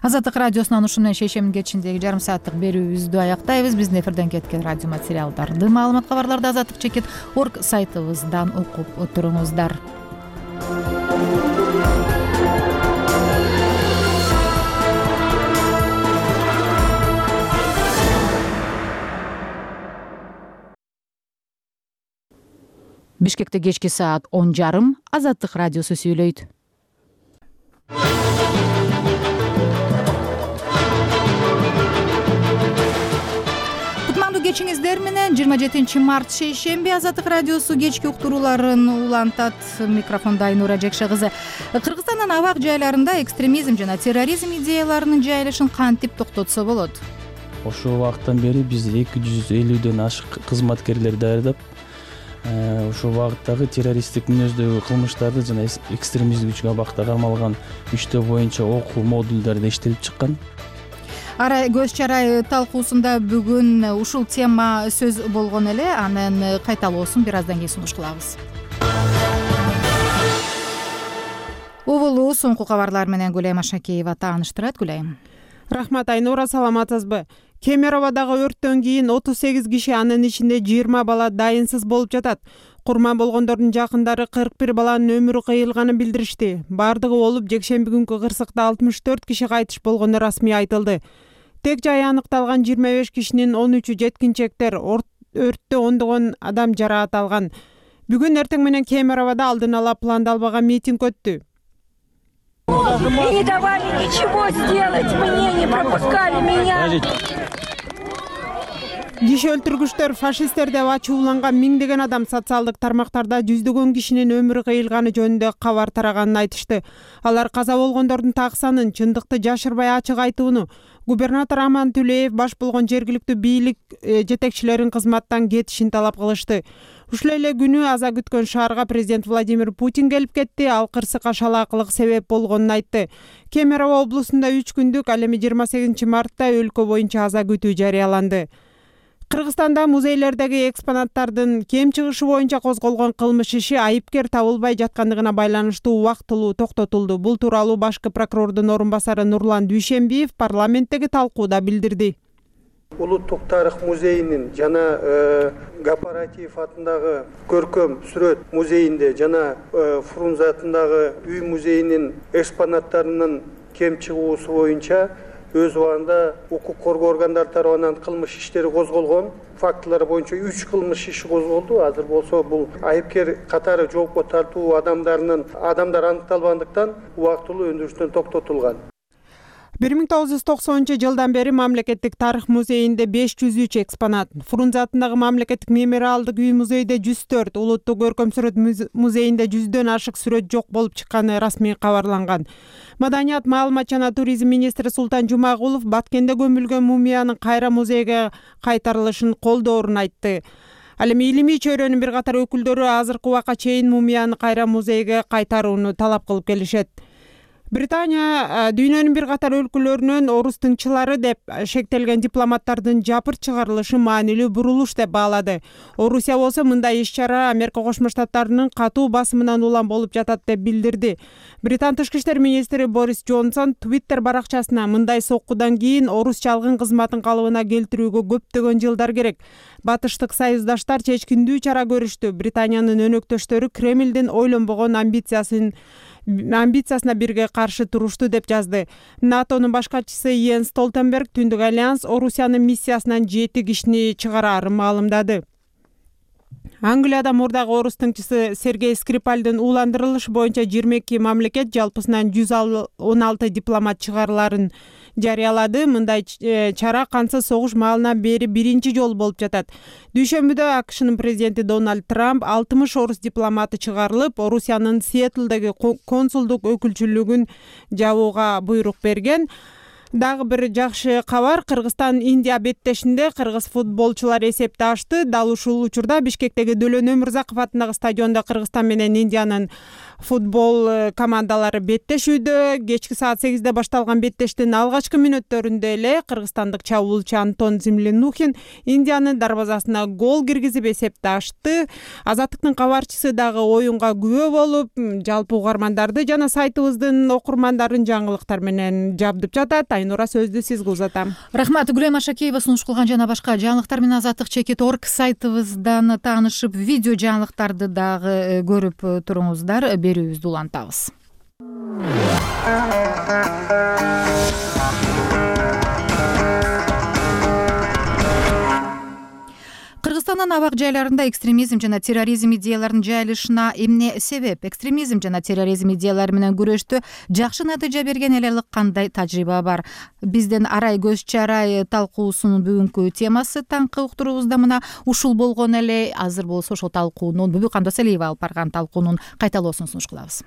Азаттык радиосунан ушун менен шейшембин кечиндеги жарым сааттык берүүбүздү аяктайбыз. Биздин эфирден кеткен радио материалдарды, маалымат кабарларды azattik.org сайтыбыздан окуп туруңуздар. Бишкекте кечки саат 10:30 Азаттык радиосу сүйлөйт. Кутмандуу кечиңиздер менен 27 март шейшемби Азаттык радиосу кечки уктурууларын улантат. Микрофондо Айнура Жекше кызы. Кыргызстандын абак жайларында экстремизм жана терроризм идеяларынын жайылышын кантип токтотсо болот? Ошол убакыттан бери биз 250дөн ашык кызматкерлер даярдап, ошол багыттагы террористтик мүнөздөгү кылмыштарды жана экстремисттик күчкө абакта кармалган күчтөр боюнча окуу модулдары иштелип чыккан. Көз чарай талкуусунда бүгүн ушул тема сөз болгон эле. Анын кайталоосун бир аздан кийин сунуш кылабыз. Убулуу соңку кабарлар менен Гүлайым Ашакеева тааныштырат. Гүлайым. Рахмат Айнура, саламатсызбы? Кемероводагы өрттөн кийин 38 киши, анын ичинде 20 бала дайынсыз болуп жатат. Курман болгондордун жакындары 41 баланын өмүрү кыйылганын билдиришти. Бардыгы болуп, жекшемби күнкү кырсыкта 64 киши кайтыш болгону расмий айтылды. Тек жай аныкталган 25 кишинин 13-ü жеткинчектер, өрттө ондогон адам жараат алган. Бүгүн эртең менен Кемероводо алдын ала пландалбаган митинг өттү. И не давали ничего сделать мне, не пропускали меня. Киши өлтүргүчтөр фашисттер деп ачууланган миңдеген адам социалдык тармактарда жүздөгөн кишинин өмүрү кыйылганы жөнүндө кабар тараганын айтышты. Алар каза болгондордун так санын, чындыкты жашырбай ачык айтууну, губернатор Аман Түлеев баш болгон жергиликтүү бийлик жетекчилерин кызматтан кетишин талап кылышты. Ушул эле күнү аза күткөн шаарга президент Владимир Путин келип кетти. Ал кырсыкка шалаакылык себеп болгонун айтты. Кемерово облусунда 3 күндүк, ал эми 28 мартта өлкө боюнча аза күтүү жарыяланды. Кыргызстанда музейлердеги экспонаттардын кем чыгышы боюнча козголгон кылмыш иши айыпкер табылбай жаткандыгына байланыштуу убактылуу токтотулду. Бул тууралуу башкы прокурордун орун басары Нурлан Дүйшембиев парламенттеги талкууда билдирди. Улуттук тарых музейинин жана Гапаратиев атындагы көркөм сүрөт музейинде жана Фрунзе атындагы үй музейинин экспонаттарынын кем чыгуусу боюнча өз убагында укук коргоо органдары тарабынан кылмыш иштери козголгон. Фактылар боюнча 3 кылмыш иши козголду. Азыр болсо бул айыпкер катары жоопко тартуу адамдар аныкталбагандыктан убактылуу өндүрүштөн токтотулган. 1990-жылдан бери мамлекеттик тарых музейинде 503 экспонат, Фрунзе атындагы мамлекеттик мемориалдык үй музейде 104, улуттук көркөм сүрөт музейинде 100дөн ашык сүрөт жок болуп чыкканы расмий кабарланган. Маданият, маалымат жана туризм министри Султан Жумагулов Баткенде көмүлгөн мумиянын кайра музейге кайтарылышын колдоорун айтты. Ал эми илимий чөйрөнүн бир катар өкүлдөрү азыркы убакка чейин мумияны кайра музейге кайтарууну талап кылып келишет. Британия дүйнөнүн бир катар өлкөлөрүнөн орус тыңчылары деп шектелген дипломаттардын жапырт чыгарылышы маанилүү бурулуш деп баалады. Орусия болсо мындай иш-чара Америка Кошмо Штаттарынын катуу басымынан улам болуп жатат деп билдирди. Британ тышкы иштер министри Борис Джонсон Twitter баракчасына мындай соккудан кийин орус чалгын кызматын калыбына келтирүүгө көптөгөн жылдар керек. Батыштык союздаштар чечкиндүү чара көрүштү. Британиянын өнөктөштөрү Кремлдин ойлонбогон амбициясына бирге каршы турушту деп жазды. НАТОнун баш катчысы Йенс Столтенберг Түндүк альянс Орусиянын миссиясынан 7 кишини чыгарарын маалымдады. Англияда мурдагы орус тыңчысы Сергей Скрипальдын ууландырылышы боюнча 22 мамлекет жалпысынан 116 дипломат чыгарыларын жарыялады. Мындай чара кансыз согуш маалынан бери биринчи жолу болуп жатат. Дүйшөмбүдө АКШнын президенти Дональд Трамп 60 орус дипломаты чыгарылып, Орусиянын Сиэтлдеги консулдук өкүлчүлүгүн жабууга буйрук берген. Дагы бир жакшы кабар, Кыргызстан Индия беттешинде кыргыз футболчулар эсепти ачты. Дал ушул учурда Бишкектеги Дөлөн Өмүрзаков атындагы стадиондо Кыргызстан менен Индиянын футбол командалары беттешүүдө. Кечки саат 8-де башталган беттештин алгачкы мүнөттөрүндө эле кыргызстандык чабуулчу Антон Землянухин Индиянын дарбазасына гол киргизип эсепти ачты. Азаттыктын кабарчысы дагы оюнга күбө болуп, жалпы угармандарды жана сайтыбыздын окурмандарын жаңылыктар менен жабдып жатат. Айнура, сөздү сизге узатам. Рахмат. Гүлем Ашакеева сунуш кылган жана башка жаңылыктар менен Азаттык.org сайтыбыздан таанышып, видео жаңылыктарды дагы көрүп туруңуздар. Берүүбүздү улантабыз. Кыргызстандын абак жайларында экстремизм жана терроризм идеяларынын жайылышына эмне себеп? Экстремизм жана терроризм идеялары менен күрөштө жакшы натыйжа берген эл аралык кандай тажрыйба бар? Биздин Арай көз чарай талкуусунун бүгүнкү темасы таңкы уктуруубузда мына ушул болгон эле. Азыр болсо ошол талкуунун Бүбү Кандоселиева алып барган талкуунун кайталоосун сунуш кылабыз.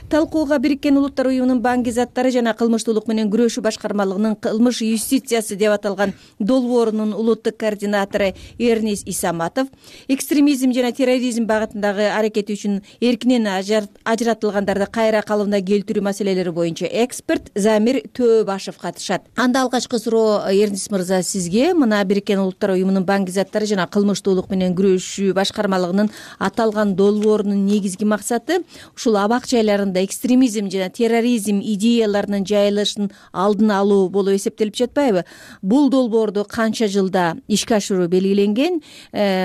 Талкууга Бириккен Улуттар уюмунун баңги заттары жана кылмыштуулук менен күрөшүү башкармалыгынын кылмыш юстициясы деп аталган долбоорунун улуттук координатору Эрнис Исаматов, экстремизм жана терроризм багытындагы аракети үчүн эркинен ажыратылгандарды кайра калыбына келтирүү маселелери боюнча эксперт Замир Төөбашев катышат. Анда алгачкы суроо, Эрнис мырза, сизге. Мына Бириккен Улуттар уюмунун баңги заттары жана кылмыштуулук менен күрөшүү башкармалыгынын аталган долбоорунун негизги максаты ушул абак жайлар экстремизм жана терроризм идеяларынын жайылышын алдын алуу болуп эсептелип жатпайбы? Бул долбоорду канча жылда ишке ашыруу белгиленген?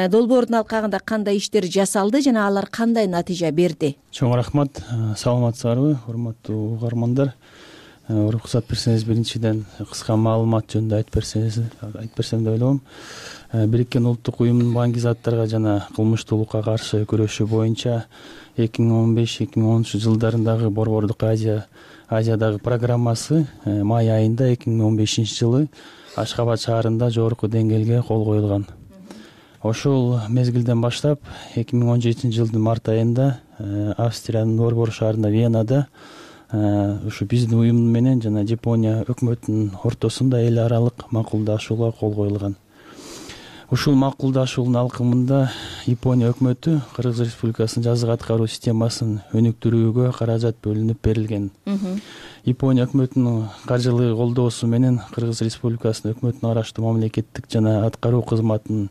Долбоордун алкагында кандай иштер жасалды жана алар кандай натыйжа берди? Чоң рахмат. Саламатсыздарбы, урматтуу угармандар? Уруксат берсеңиз, биринчиден кыска маалымат жөнүндө айтып берсем деп ойлойм. Бириккен улуттук уюмдун баңги заттарга жана кылмыштуулукка каршы күрөшүү боюнча 2015-2010 жылдарындагы Борбордук Азиядагы программасы май айында 2015 жылы Ашхабад шаарында жогорку деңгээлге кол коюлган. Ошол мезгилден баштап 2017 жылдын март айында Австриянын Борбор шаарында Венада ушу биздин уюм менен жана Жапония өкмөтүнүн ортосунда эл аралык макулдашууга кол коюлган. Ушул макулдашуунун алкымында Япония өкмөтү Кыргыз Республикасынын жазык аткаруу системасын өнүктүрүүгө каражат бөлүнүп берилген. Япония өкмөтүнүн каржылык колдоосу менен Кыргыз Республикасынын өкмөтүнүн араштуу мамлекеттик жана аткаруу кызматынын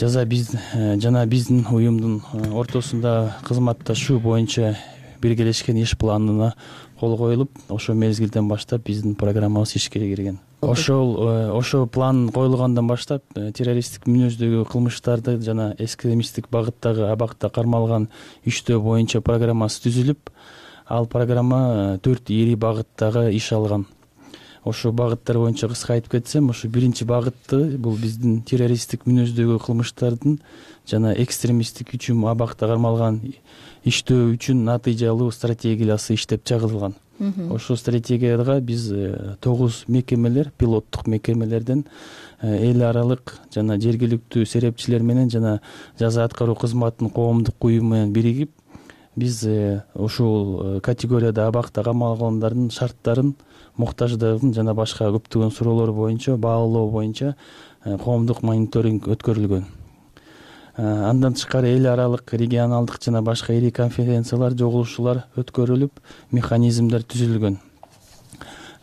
жана биздин уюмдун ортосунда кызматташуу боюнча биргелешкен иш планына кол коюлуп, ошол мезгилден баштап биздин программабыз ишке кирген. Ошол план коюлгандан баштап террористтик мүнөздөгү кылмыштарды жана экстремисттик багыттагы абакта кармалган иштөө боюнча программасы түзүлүп, ал программа 4 ири багыттагы иш алган. Ошол багыттар боюнча кыска айтып кетсем, ошо биринчи багытты бул биздин террористтик мүнөздөгү кылмыштардын жана экстремисттик үчүн абакта кармалган иштөө үчүн натыйжалуу стратегиясы иштеп чыгарылган. Ошол стратегияга биз 9 мекемелер, пилоттук мекемелерден эл аралык жана жергиликтүү серепчилер менен жана жаза аткаруу кызматынын коомдук уюму менен биригип, биз ушул категорияда абакта камалгандардын шарттарын, муктаждыгын жана башка көптөгөн суроолор боюнча баалоо боюнча коомдук мониторинг өткөрүлгөн. Андан тышкары эл аралык, регионалдык жана башка ири конференциялар, жогулушуулар өткөрүлүп, механизмдер түзүлгөн.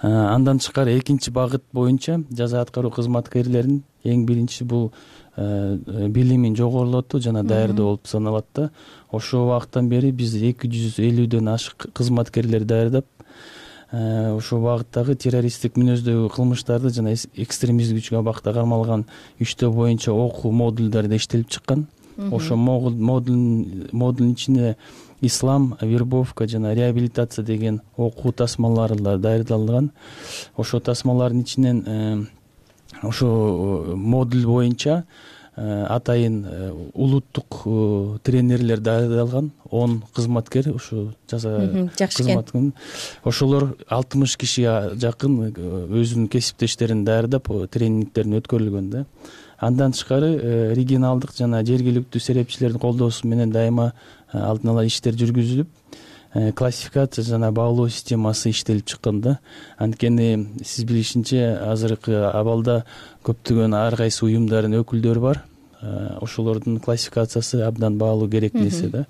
Андан тышкары экинчи багыт боюнча жаза аткаруу кызматкерлерин эң биринчи бул билимин жогорулатуу жана даярдоо болуп саналат да. Ошол убакыттан бери биз 250дөн ашык кызматкерлер даярдап, ошол багыттагы террористтик мүнөздөгү кылмыштарды жана экстремисттик күчкө абакта кармалган иштөө боюнча окуу модулдары иштелип чыккан. Ошол модулдун ичинде ислам, вербовка жана реабилитация деген окуу тасмалары даярдалган. Ошол тасмалардын ичинен ошо модуль боюнча атайын улуттук тренерлер даярдалган 10 кызматкер, ушу жаза кызматын. Ошолор 60 кишиге жакын өзүнүн кесиптештерин даярдап тренингтерин өткөрүлгөн да. Андан тышкары регионалдык жана жергиликтүү серепчилердин колдоосу менен дайыма алдын ала иштер жүргүзүлүп, классификация жана баалоо системасы иштелип чыккан да. Анткени сиз билишинче азыркы абалда көптөгөн ар кайсы уюмдардын өкүлдөрү бар. Ошолордун классификациясы абдан баалуу керек нерсе да.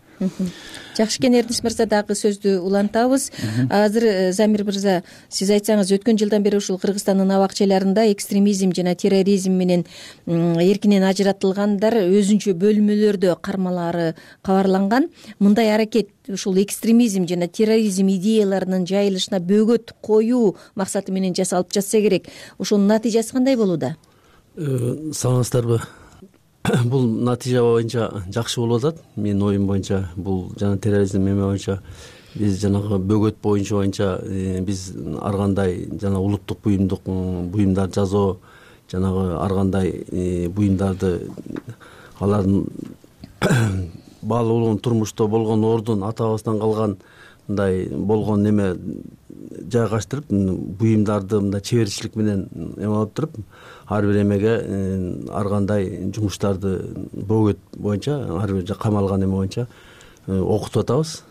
Жакшы экен, Эрнис мырза, дагы сөздү улантабыз. Азыр Замир мырза, сиз айтсаңыз, өткөн жылдан бери ушул Кыргызстандын абакчаларында экстремизм жана терроризм менен эркинен ажыратылгандар өзүнчө бөлмөлөрдө кармалары кабарланган. Мындай аракет ушул экстремизм жана терроризм идеяларынын жайылышына бөгөт коюу максаты менен жасалып жатса керек. Ошонун натыйжасы кандай болууда? Саламатсыздарбы? Бул натыйжа боюнча жакшы болуп атат. Менин оюм боюнча бул жана терроризм эме боюнча биз жанагы бөгөт боюнча биз ар кандай жана улуттук буюмдар жасоо, жанагы ар кандай буюмдарды алардын баалуулугун, турмушта болгон ордун, атабыздан калган мындай болгон неме жайгаштырып, буюмдарды мындай чеберчилик менен эме алып туруп, ар бир эмеге ар кандай жумуштарды бөгөт боюнча, ар бир камалган эме боюнча окутуп атабыз.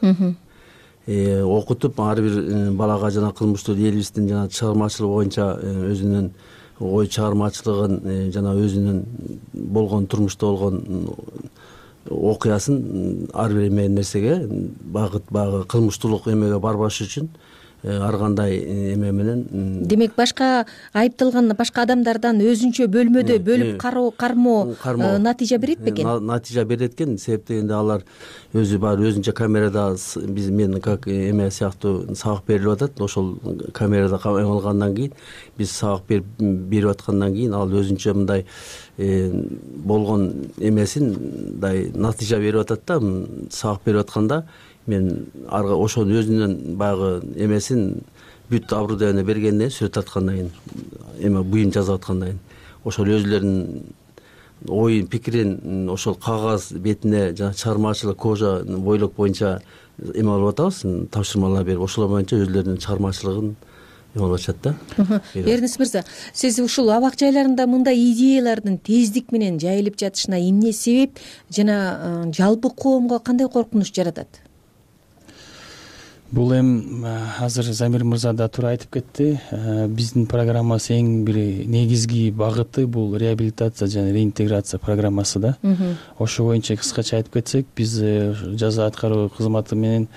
Окутуп ар бир балага жана кылмыштуу элибиздин жана чыгармачылыгы боюнча өзүнүн ой чыгармачылыгын жана өзүнүн болгон турмушта болгон окуясын ар бир эме нерсеге багы кылмыштуулук эмеге барбаш үчүн ар кандай эме менен, демек башка айыпталган башка адамдардан өзүнчө бөлмөдө бөлүп кармоо натыйжа берет бекен? Натыйжа берет экен. Себеп дегенде алар өзү бар өзүнчө камерада мен как эме сыяктуу сабак берилип атат. Ошол камерада эме алгандан кийин, биз сабак берип аткандан кийин ал өзүнчө мындай болгон эмесин мындай натыйжа берип атат да. Сабак берип атканда мен ошонун өзүнүн баягы эмесин бүт оборудование бергенден сүрөт тарткандан кийин, эме буюм жазып аткандан кийин ошол өзүлөрүнүн оюн, пикирин ошол кагаз бетине жана чыгармачылык кожа бойлок боюнча эме алып атабыз, тапшырмалар берип, ошолор боюнча өзүлөрүнүн чыгармачылыгын эме алып атышат да. Эрнис мырза, сиз ушул абак жайларында мындай идеялардын тездик менен жайылып жатышына эмне себеп жана жалпы коомго кандай коркунуч жаратат? Бул азыр Замир мырза да туура айтып кетти. Биздин программасы эң бир негизги багыты бул реабилитация жана реинтеграция программасы да. Ошо боюнча кыскача айтып кетсек, биз жаза аткаруу кызматы менен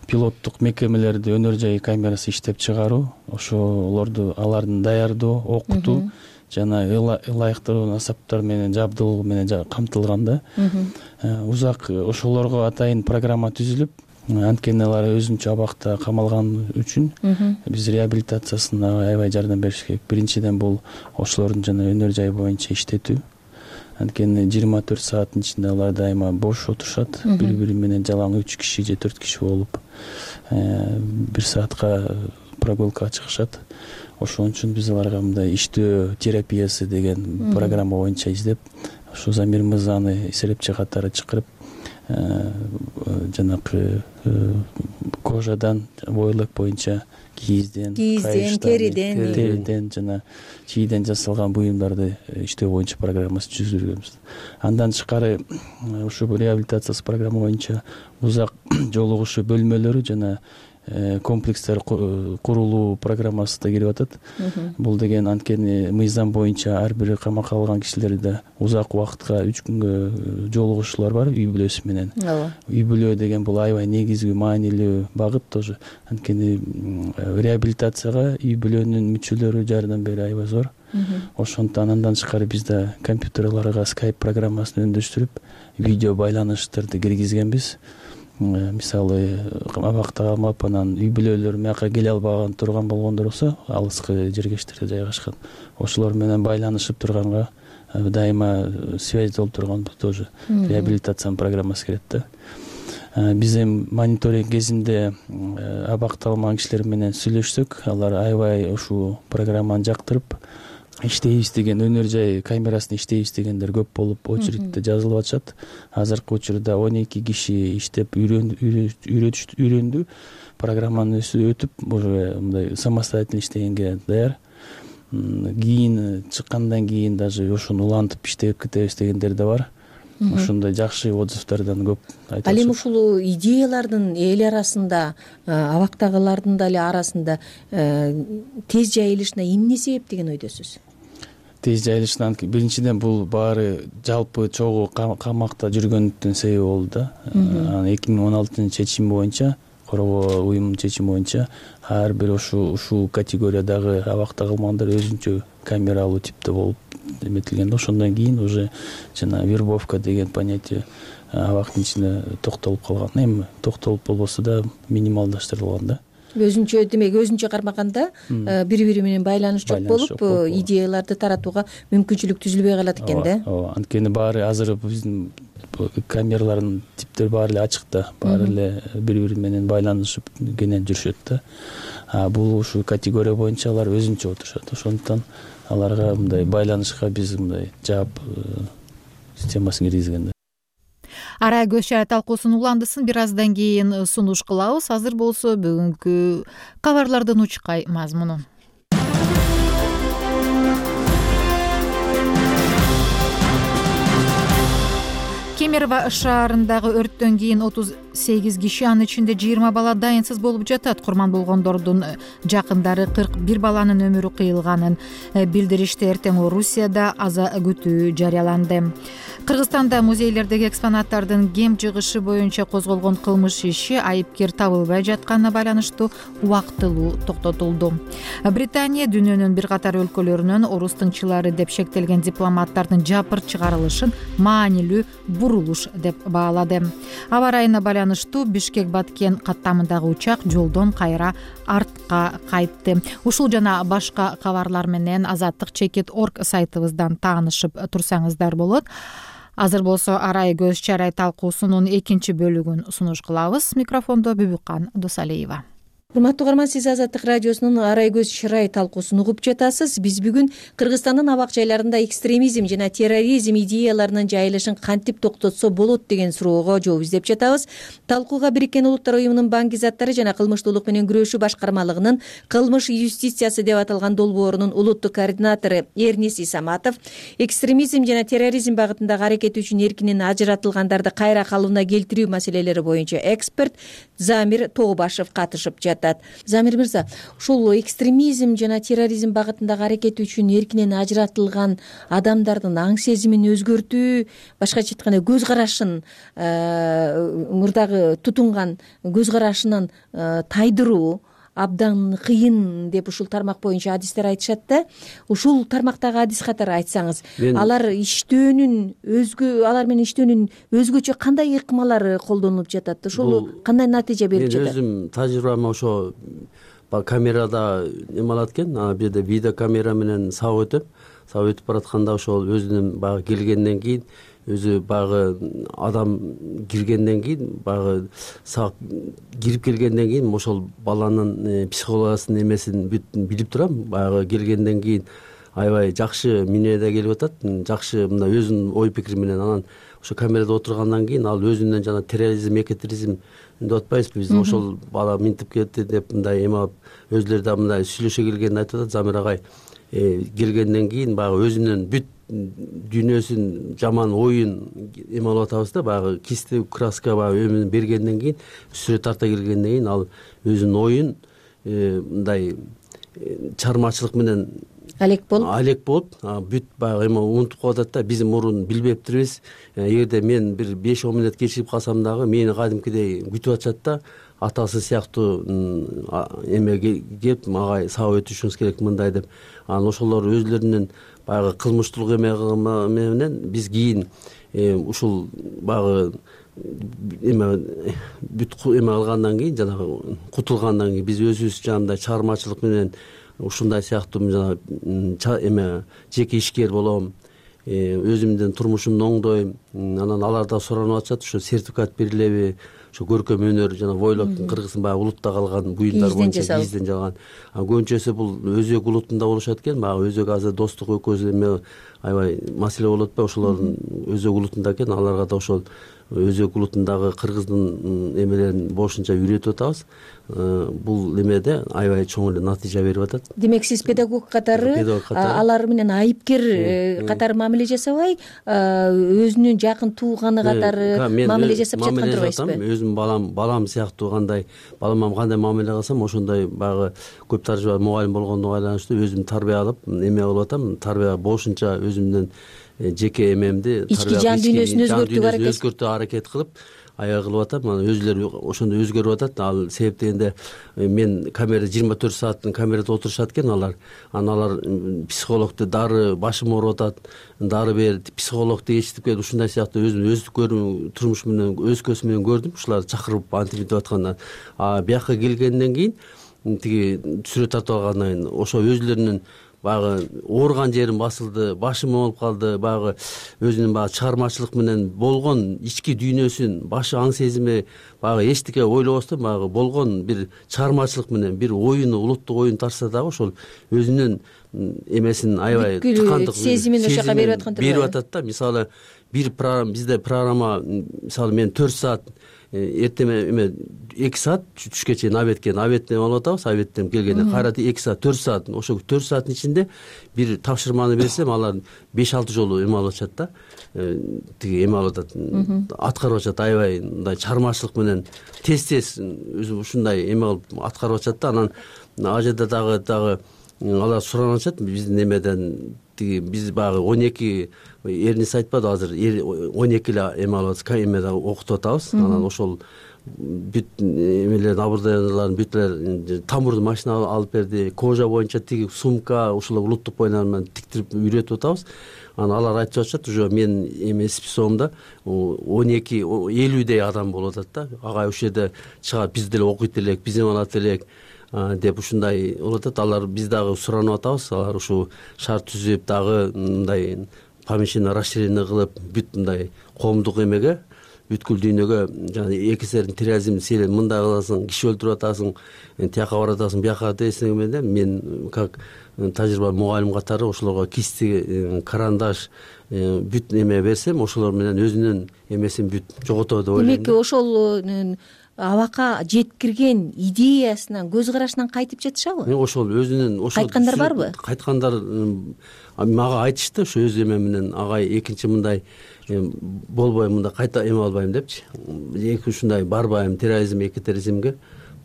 пилоттук мекемелерди өнөр жай камерасы иштеп чыгаруу, ошолорду алардын даярдоо, окутуу жана ылайыктуу асаптар менен жабдылоо менен камтылган да. Узак ошолорго атайын программа түзүлүп, анткени алар өзүнчө абакта камалган үчүн биз реабилитациясына аябай жардам бериш керек. Биринчиден бул ошолордун жана өнөр жай боюнча иштетүү. Анткени 24 сааттын ичинде алар дайыма бош отурушат, бири-бири менен жалаң 3 киши же 4 киши болуп 1 саатка прогулкага чыгышат. Ошон үчүн биз аларга мындай иштөө терапиясы деген программа боюнча издеп, ошо Замир мырзаны эсепчи катары чакырып, жанакы кожадан, бойлок боюнча кийизден, териден жана чийден жасалган буюмдарды иштөө боюнча программасы түзүлгөнбүз. Андан тышкары ушул реабилитациясы программа боюнча узак жолугушуу бөлмөлөрү жана комплекстер курулуу программасы да кирип атат. Бул деген анткени мыйзам боюнча ар бир камакка алган кишилерде узак убакытка 3 күнгө жолугушуулар бар үй бүлөсү менен. Үй бүлө деген бул аябай негизги маанилүү багыт тоже. Анткени реабилитацияга үй бүлөнүн мүчөлөрү жардам берүү аябай зор. Ошондуктан андан тышкары бизде компьютерларга Skype программасын өндөштүрүп, видео байланыштарды киргизгенбиз. Мисалы, абакта калмап, анан үй бүлөлөр мияка келе албаган турган болгондор болсо, алыскы жергечтерде жайгашкан, ошолор менен байланышып турганга дайыма связь болуп турган тоже реабилитациянын программасы кирет да. Биз мониторинг кезинде абакта калмаган кишилер менен сүйлөшсөк, алар аябай ушул программаны жактырып, иштейбиз деген, өнөр жай камерасын иштейбиз дегендер көп болуп, очередьте жазылып атышат. Азыркы учурда 12 киши иштеп үйрөндү, программаны өтүп, уже мындай самостоятельно иштегенге даяр. Кийин чыккандан кийин даже ошону улантып иштеп кетебиз дегендер да бар. ошондой жакшы отзывдардан көп айтып. Ал эми ушул идеялардын эл арасында, абактагылардын дагы арасында тез жайылышына эмне себеп деген ойдосуз? Тез жайылышынан биринчиден бул баары жалпы чогуу камакта жүргөндүн себеби болду да. 2016 чечим боюнча, коргоо уюмунун чечими боюнча ар бир ушул категориядагы абакта калмагандар өзүнчө камералуу типте болуп эметилген да. Ошондон кийин уже жана вербовка деген понятие абактын ичинде токтолуп калган. Эми токтолуп болбосо да минималдаштырылган да. Өзүнчө демек өзүнчө кармаганда бири-бири менен байланыш жок болуп, идеяларды таратууга мүмкүнчүлүк түзүлбөй калат экен да. Ооба, анткени баары азыр биздин камералардын типтери баары эле ачык да, баары эле бири-бири менен байланышып кенен жүрүшөт да. Бул ушул категория боюнча алар өзүнчө отурушат. Ошондуктан аларга мындай байланышка биз мындай жаап системасын киргизген да. Арай көз чарай талкуусунун уландысын бир аздан кийин сунуш кылабыз. Азыр болсо бүгүнкү кабарлардын учкай мазмуну. Кемерово шаарындагы өрттөн кийин 38 киши, анын ичинде 20 бала дайынсыз болуп жатат. Курман болгондордун жакындары 41 баланын өмүрү кыйылганын билдиришти. Эртең Орусияда аза күтүү жарыяланды. Кыргызстанда музейлердеги экспонаттардын кем жыгышы боюнча козголгон кылмыш иши айыпкер табылбай жатканына байланыштуу убактылуу токтотулду. Британия дүйнөнүн бир катар өлкөлөрүнөн орус тыңчылары деп шектелген дипломаттардын жапыр чыгарылышын маанилүү бурулуш деп баалады. Аба ырайына байланыштуу Бишкек-Баткен каттамындагы учак жолдон кайра артка кайтты. Ушул жана башка кабарлар менен azattik.org сайтыбыздан таанышып турсаңыздар болот. Азыр болсо Арай көз чарай талкуусунун экинчи бөлүгүн сунуш кылабыз. Микрофондо Бүбүккан Досалиева. Урматтуу угарман, сиз Азаттык радиосунун Арай көз чарай талкуусун угуп жатасыз. Биз бүгүн Кыргызстандын абак жайларында экстремизм жана терроризм идеяларынын жайылышын кантип токтотсо болот деген суроого жооп издеп жатабыз. Талкууга Бириккен Улуттар уюмунун банк заттары жана кылмыштуулук менен күрөшүү башкармалыгынын кылмыш юстициясы деп аталган долбоорунун улуттук координатору Эрнис Исаматов, экстремизм жана терроризм багытындагы аракети үчүн эркинен ажыратылгандарды кайра калыбына келтирүү маселелери боюнча эксперт Замир Тообашев катышып жатат. Замир мырза, ушул экстремизм жана терроризм багытындагы аракети үчүн эркинен ажыратылган адамдардын аң сезимин өзгөртүү, башкача айтканда көз карашын, мурдагы тутунган көз карашынан тайдыруу абдан кыйын деп ушул тармак боюнча адистер айтышат да. Ушул тармактагы адис катары айтсаңыз, алар менен иштөөнүн өзгөчө кандай ыкмалары колдонулуп жатат? Ушул кандай натыйжа берип жатат? Мен өзүм тажрыйбам ошо камерада эме алат экен, бул жерде видео камера менен сабап өтүп баратканда ошол өзүнүн баягы келгенден кийин өзү баягы адам киргенден кийин баягы саап кирип келгенден кийин ошол баланын психологиясынын эмесин билип турам. Баягы келгенден кийин аябай жакшы минеде келип атат, жакшы мындай өзүнүн ой пикири менен. Анан ошо камерада отургандан кийин ал өзүнөн жана терроризм, экотерроризм деп атпайбызбы биз, ошол бала минтип кетти деп мындай эме алып өзүлөрү да мындай сүйлөшө келгенин айтып атат Замир агай. Келгенден кийин баягы өзүнүн бүт дүйнөсүн, жаман оюн эме алып атабыз да, баягы кисти краска баягы өмүн бергенден кийин, сүрөт тарта келгенден кийин ал өзүнүн оюн мындай чыгармачылык менен алек болуп бүт баягы эме унутуп калып атат да. Биз мурун билбептирбиз. Эгерде мен бир 5-10 мүнөт кечирип калсам дагы мени кадимкидей күтүп атышат да. Атасы сыяктуу эме кеп мага сабап өтүшүңүз керек мындай деп. Анан ошолор өзлөрүнүн баягы кылмыштуулук эме менен биз кийин ушул баягы эме бүт эме алгандан кийин, жанагы кутулгандан кийин биз өзүбүз жанагындай чыгармачылык менен ушундай сыяктуу жана эме жеке ишкер болом, өзүмдүн турмушумду оңдойм. Анан алар да суранып атышат, ошо сертификат берилеби, ошо көркөм өнөр жана бойлоктун кыргыздын баягы улутта калган буюмдар боюнча кийизден жалган. Көбүнчөсү бул өзөк улутунда болушат экен. Баягы өзөк азыр достук экөөбүз эме аябай маселе болуп атпайбы? Ошолордун өзөк улутунда экен. Аларга да ошол өзөк улутундагы кыргыздын эмелерин бошунча үйрөтүп атабыз. Бул эмеде аябай чоң эле натыйжа берип атат. Демек сиз педагог катары алар менен айыпкер катары мамиле жасабай, өзүнүн жакын тууганы катары мамиле жасап жаткан турбайсызбы? Өзүм балам сыяктуу балама кандай мамиле кылсам ошондой баягы көп тажрыйба мугалим болгондугу байланыштуу өзүм тарбия кылып эме кылып атам. Тарбия болушунча өзүмдүн жеке эмемди ички жан дүйнөсүн өзгөртүү аракет кылып аябай кылып атам. Анан өзүлөрү ошондой өзгөрүп атат. Ал себеп дегенде мен камерада 24 сааттын камерада отурушат экен алар. Анан алар психологду дары башым ооруп атат, дары бер, психологду ээрчитип келип ушундай сыяктуу өзүм турмуш менен өз көзүм менен көрдүм. Ушуларды чакырып антип деп аткандан бияка келгенден кийин тиги сүрөт тартып алгандан кийин ошо өзүлөрүнүн баягы ооруган жерим басылды, башым ооруп калды, баягы өзүнүн баягы чыгармачылык менен болгон ички дүйнөсүн, башы аң сезими баягы эчтеке ойлобостон баягы болгон бир чыгармачылык менен бир оюну, улуттук оюн тартса дагы ошол өзүнүн эмесин аябай тыкандык сезимин ошол жака берип аткан берип атат да. Мисалы бизде программа мисалы мен 4 саат эртең эме 2 саат түшкө чейин обедтен алып атабыз. Обедтен келгенде кайра 2 саат 4 саат. Ошол 4 сааттын ичинде бир тапшырманы берсем алар 5-6 жолу эме алып атышат да. Тиги эме алып атат, аткарып атышат аябай мындай чыгармачылык менен тез өзү ушундай эме кылып аткарып атышат да. Анан ал жерде дагы алар суранып атышат биздин эмеден. Тиги биз баягы 12 Эрнис айтпады азыр 12 эле эме алып атабыз, эмеде окутуп атабыз. Анан ошол бүт эмелердин оборудованияларын бүт эле тамурдун машина алып берди. Кожа боюнча тиги сумка ушул улуттук боюнан менен тиктирип үйрөтүп атабыз. Анан алар айтып атышат уже мен эме списогумда 50дей адам болуп атат да. Агай ушул жерде чыгат, биз деле окуйт элек, биз эме алат элек деп ушундай болуп атат. Алар биз дагы суранып атабыз. Алар ушу шарт түзүп дагы мындай помещение расширение кылып бүт мындай коомдук эмеге бүткүл дүйнөгө жана экисерин терроризм сен мындай кыласың, киши өлтүрүп атасың, тияка баратасың, бияка десең мен как тажрыйба мугалим катары ошолорго кисти, карандаш бүт эме берсем, ошолор менен өзүнүн эмесин бүт жоготот деп ойлойм. Демек ошол абакка жеткирген идеясынан, көз карашынан кайтып жатышабы? Ошол өзүнүн кайткандар барбы? Кайткандар мага айтышты, ошо өз эме менен агай экинчи мындай болбой мында кайта эме албайм депчи. Эки ушундай барбайм эки терроризмге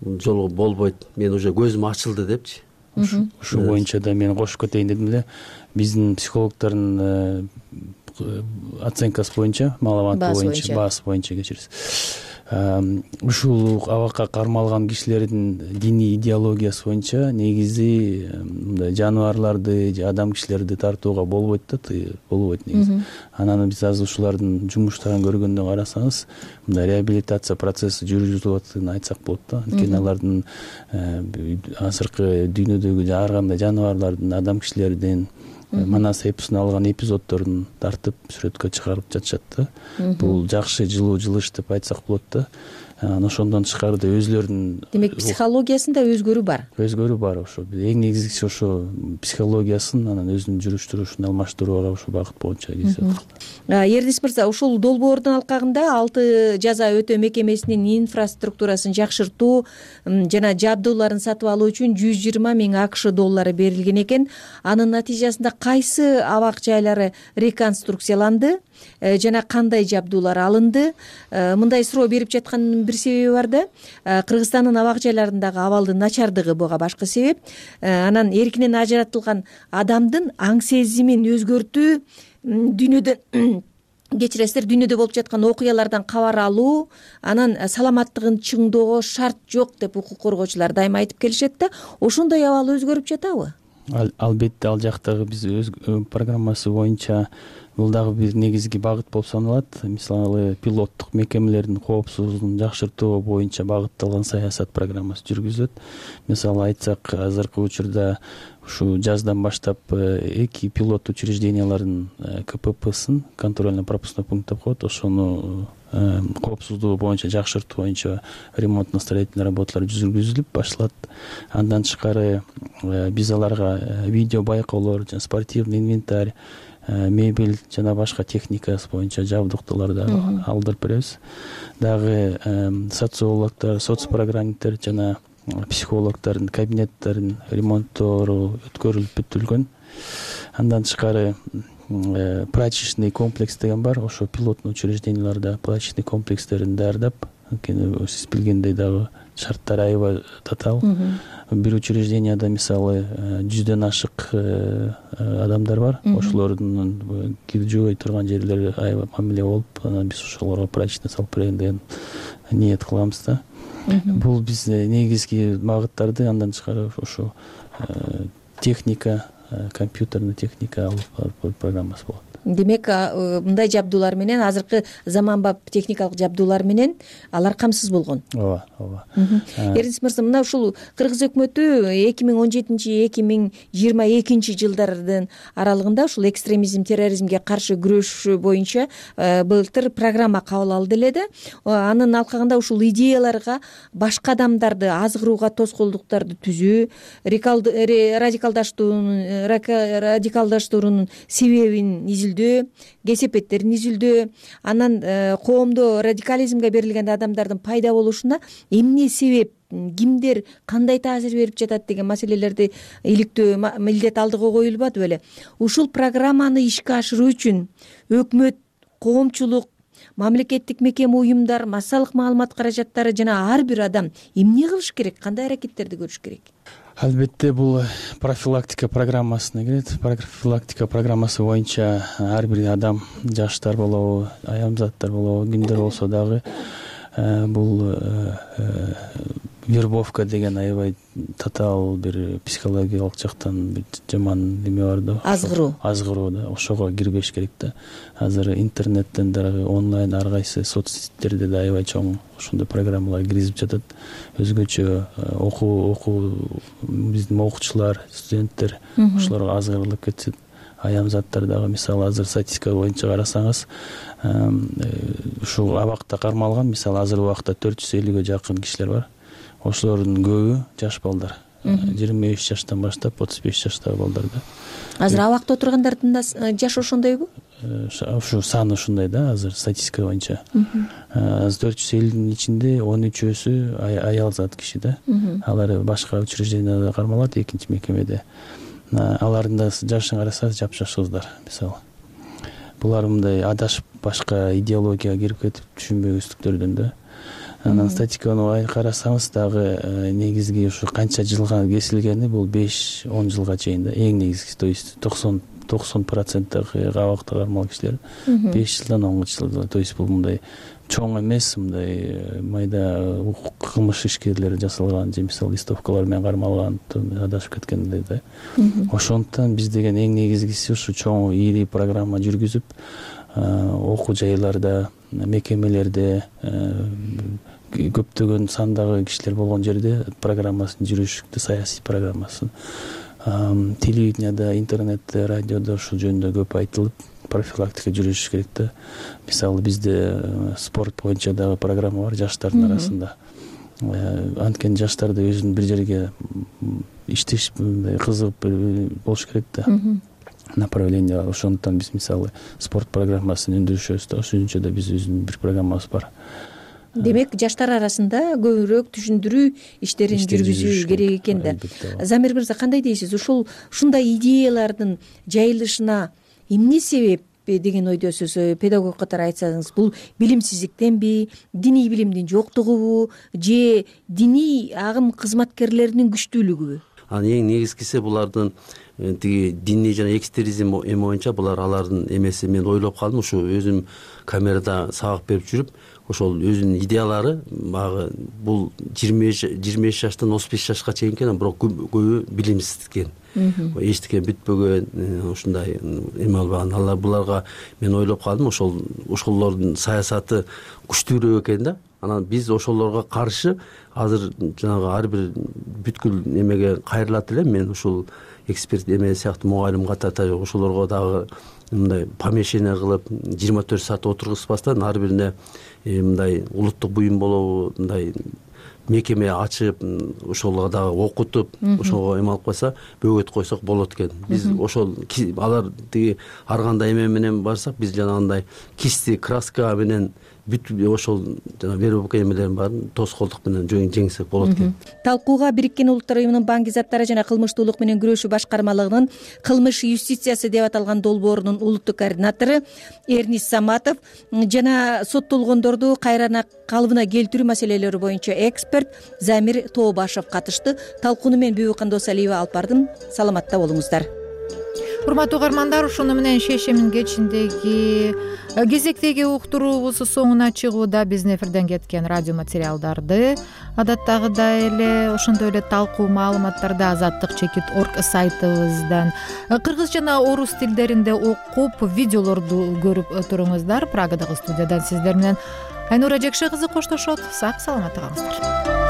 жолго болбойт. Мен уже көзүм ачылды депчи. Ушу боюнча да мен кошуп кетейин дедим эле. Биздин психологдордун оценкасы боюнча, маалыматы боюнча, баасы боюнча кечирисиз. Ушул абакка кармалган кишилердин диний идеологиясы боюнча негизи мындай жаныбарларды же адам кишилерди тартууга болбойт да, болбойт негизи. Анан биз азыр ушулардын жумуштарын көргөндө карасаңыз, мындай реабилитация процесси жүргүзүлүп атканын айтсак болот да. Анткени алардын азыркы дүйнөдөгү ар кандай жаныбарлардын, адам кишилердин Манас эпосунан алган эпизоддорун тартып сүрөткө чыгарып жатышат да. Бул жакшы жылыш деп айтсак болот да. Ошондон тышкары өзүлөрүнүн демек психологиясында өзгөрүү бар. Өзгөрүү бар ошо. Эң негизгиси ошо психологиясын анан өзүнүн жүрүш турушун алмаштырууга ошо багыт боюнча кезет. Эрнис мырза, ушул долбоордун алкагында 6 жаза өтөө мекемесинин инфраструктурасын жакшыртуу жана жабдууларын сатып алуу үчүн 120 000 АКШ доллары берилген экен. Анын натыйжасында кайсы абак жайлары реконструкцияланды жана кандай жабдуулар алынды? Мындай суроо берип жатканын бир себеби бар да. Кыргызстандын абак жайларындагы абалдын начардыгы буга башкы себеп. Анан эркинен ажыратылган адамдын аң сезимин өзгөртүү, дүйнөдөн кечиресиздер, дүйнөдө болуп жаткан окуялардан кабар алуу, анан саламаттыгын чыңдоого шарт жок деп укук коргоочулар дайыма айтып келишет да. Ошондой абал өзгөрүп жатабы? Албетте, ал жактагы биз өз программасы боюнча бул дагы бир негизги багыт болуп саналат. Мисалы, пилоттук мекемелердин коопсуздугун жакшыртуу боюнча багытталган саясат программасы жүргүзүлөт. Мисалы айтсак, азыркы учурда ушу жаздан баштап 2 пилот учреждениялардын КППсын, контрольно-пропускной пункт деп коет, ошону коопсуздугу боюнча жакшыртуу боюнча ремонтно-строительный работалар жүргүзүлүп башталат. Андан тышкары биз аларга видео байкоолор жана спортивный инвентарь, мебель жана башка техникасы боюнча жабдыктууларды алдырып беребиз. Дагы социологдор, соцпрограммиттер жана психологдордун кабинеттерин ремонттору өткөрүлүп бүтүлгөн. Андан тышкары прачечный комплекс деген бар, ошо пилотный учрежденияларда прачечный комплекстерин даярдап, анткени сиз билгендей дагы шарттар аябай татаал. Бир учрежденияда мисалы 100дөн ашык адамдар бар, ошолордун киржибей турган жерлери аябай мамиле болуп, анан биз ошолорго прачечный салып берейин деген ниет кылабыз да. Бул биз негизги багыттарды андан тышкары ошо техника, компьютерный техника алып программасы болот. Демек, мындай жабдуулар менен, азыркы заманбап техникалык жабдуулар менен алар камсыз болгон. Ооба, ооба. Эрнис мырза, мына ушул Кыргыз өкмөтү 2017-2022 жылдардын аралыгында ушул экстремизм, терроризмге каршы күрөш боюнча былтыр программа кабыл алды эле да. Анын алкагында ушул идеяларга башка адамдарды азгырууга тоскоолдуктарды түзүү, радикалдаштуурунун себебин изилдөө, кесепеттерин изилдөө, анан коомдо радикализмге берилген адамдардын пайда болушуна эмне себеп, кимдер кандай таасир берип жатат деген маселелерди иликтөө милдет алдыга коюлбады беле. Ушул программаны ишке ашыруу үчүн өкмөт, коомчулук, мамлекеттик мекеме, уюмдар, массалык маалымат каражаттары жана ар бир адам эмне кылыш керек, кандай аракеттерди көрүш керек? Албетте бул профилактика программасына кирет. Профилактика программасы боюнча ар бир адам, жаштар болобу, аямзаттар болобу, кимдер болсо дагы бул вербовка деген аябай татаал бир психологиялык жактан бир жаман неме бар да. Азгыруу да, ошого кирбеш керек да. Азыр интернеттен дагы онлайн ар кайсы соцсеттерде да аябай чоң ошондой программалар киргизип жатат. Өзгөчө окуу биздин окуучулар, студенттер ошолорго азгырылып кетет. Аямзаттар дагы, мисалы азыр статистика боюнча карасаңыз, ушул абакта кармалган, мисалы азыр убакта 450ге жакын кишилер бар. Ошолордун көбү жаш балдар. 25 жаштан баштап 35 жаштагы балдар да. Азыр абакта отургандардын да жашы ошондойбу? Ушу саны ушундай да, азыр статистика боюнча. 450дин ичинде 13өсү аял зат киши да. Алар башка учрежденияда кармалат, экинчи мекемеде. Алардын да жашын карасаңыз жапжаш кыздар, мисалы. Булар мындай адашып башка идеологияга кирип кетип түшүнбөгүздүктөрдөн да. Анан статистиканы карасаңыз дагы негизги ушу канча жылга кесилгени бул 5-10 жылга чейин да. Эң негизгиси, то есть 90% абакта кармалган кишилер 5 жылдан 10 жылга, то есть бул мындай чоң эмес, мындай майда кылмыш ишкерлери жасалган же мисалы листовкалар менен кармалган, адашып кеткендей да. Ошондуктан биз деген эң негизгиси ушу чоң ийри программа жүргүзүп, окуу жайларда, мекемелерде, көптөгөн сандагы кишилер болгон жерде программасын жүргүзүштү, саясий программасын. Телевиденияда, интернетте, радиодо ушул жөнүндө көп айтылып, профилактика жүргүзүш керек да. Мисалы бизде спорт боюнча дагы программа бар жаштардын арасында. Анткени жаштарды өзүнүн бир жерге иштеш кызыгып болуш керек да. Направление бар. Ошондуктан биз мисалы спорт программасын өндүрүшөбүз да. Ошончо да биз өзүнүн бир программабыз бар. Демек, жаштар арасында көбүрөөк түшүндүрүү иштерин жүргүзүү керек экен да. Замир мырза, кандай дейсиз? Ушундай идеялардын жайылышына эмне себеп деген ойдосуз? Педагог катары айтсаңыз, бул билимсиздиктенби, диний билимдин жоктугубу же диний агым кызматкерлеринин күчтүүлүгүбү? Эң негизгиси булардын тиги диний жана экстремизм эме боюнча булар алардын эмеси. Мен ойлоп калдым, ушу өзүм камерада сабак берип жүрүп, ошол өзүнүн идеялары багы бул 25 жаштан 35 жашка чейин экен, бирок көбү билимсиз экен. Эчтеке бүтпөгөн, ушундай эме албаган. Алар буларга мен ойлоп калдым, ошолордун саясаты күчтүүрөөк экен да. Анан биз ошолорго каршы азыр жанагы ар бир бүткүл эмеге кайрылат элем. Мен ушул эксперт эме сыяктуу мугалим катары ошолорго дагы мындай помещение кылып 24 саат отургузбастан ар бирине мындай улуттук буюм болобу, мындай мекеме ачып, ошолорго дагы окутуп, ошого эме алып койсо, бөгөт койсок болот экен. Биз ошол алар тиги ар кандай эме менен барсак, биз жанагындай кисти, краска менен бүт ошол жана вербовка эмелерин баарын тоскоолдук менен жеңсек болот экен. Талкууга Бириккен Улуттар уюмунун Банк заттары жана кылмыштуулук менен күрөшүү башкармалыгынын кылмыш юстициясы деп аталган долбоорунун улуттук координатору Эрнис Саматов жана соттолгондорду кайра калыбына келтирүү маселелери боюнча эксперт Замир Тообашев катышты. Талкууну мен Бүбү Кандосалиева алып бардым. Саламатта болуңуздар. Урматтуу угармандар, ушуну менен шешемин кечиндеги кезектеги уктуруубуз соңуна чыгууда. Биздин эфирден кеткен радио материалдарды адаттагыдай эле ошондой эле талкуу маалыматтарды azatlyk.org сайтыбыздан кыргыз жана орус тилдеринде окуп, видеолорду көрүп туруңуздар. Прагадагы студиядан сиздер менен Айнура Жекше кызы коштошот. Сак саламатта калыңыздар.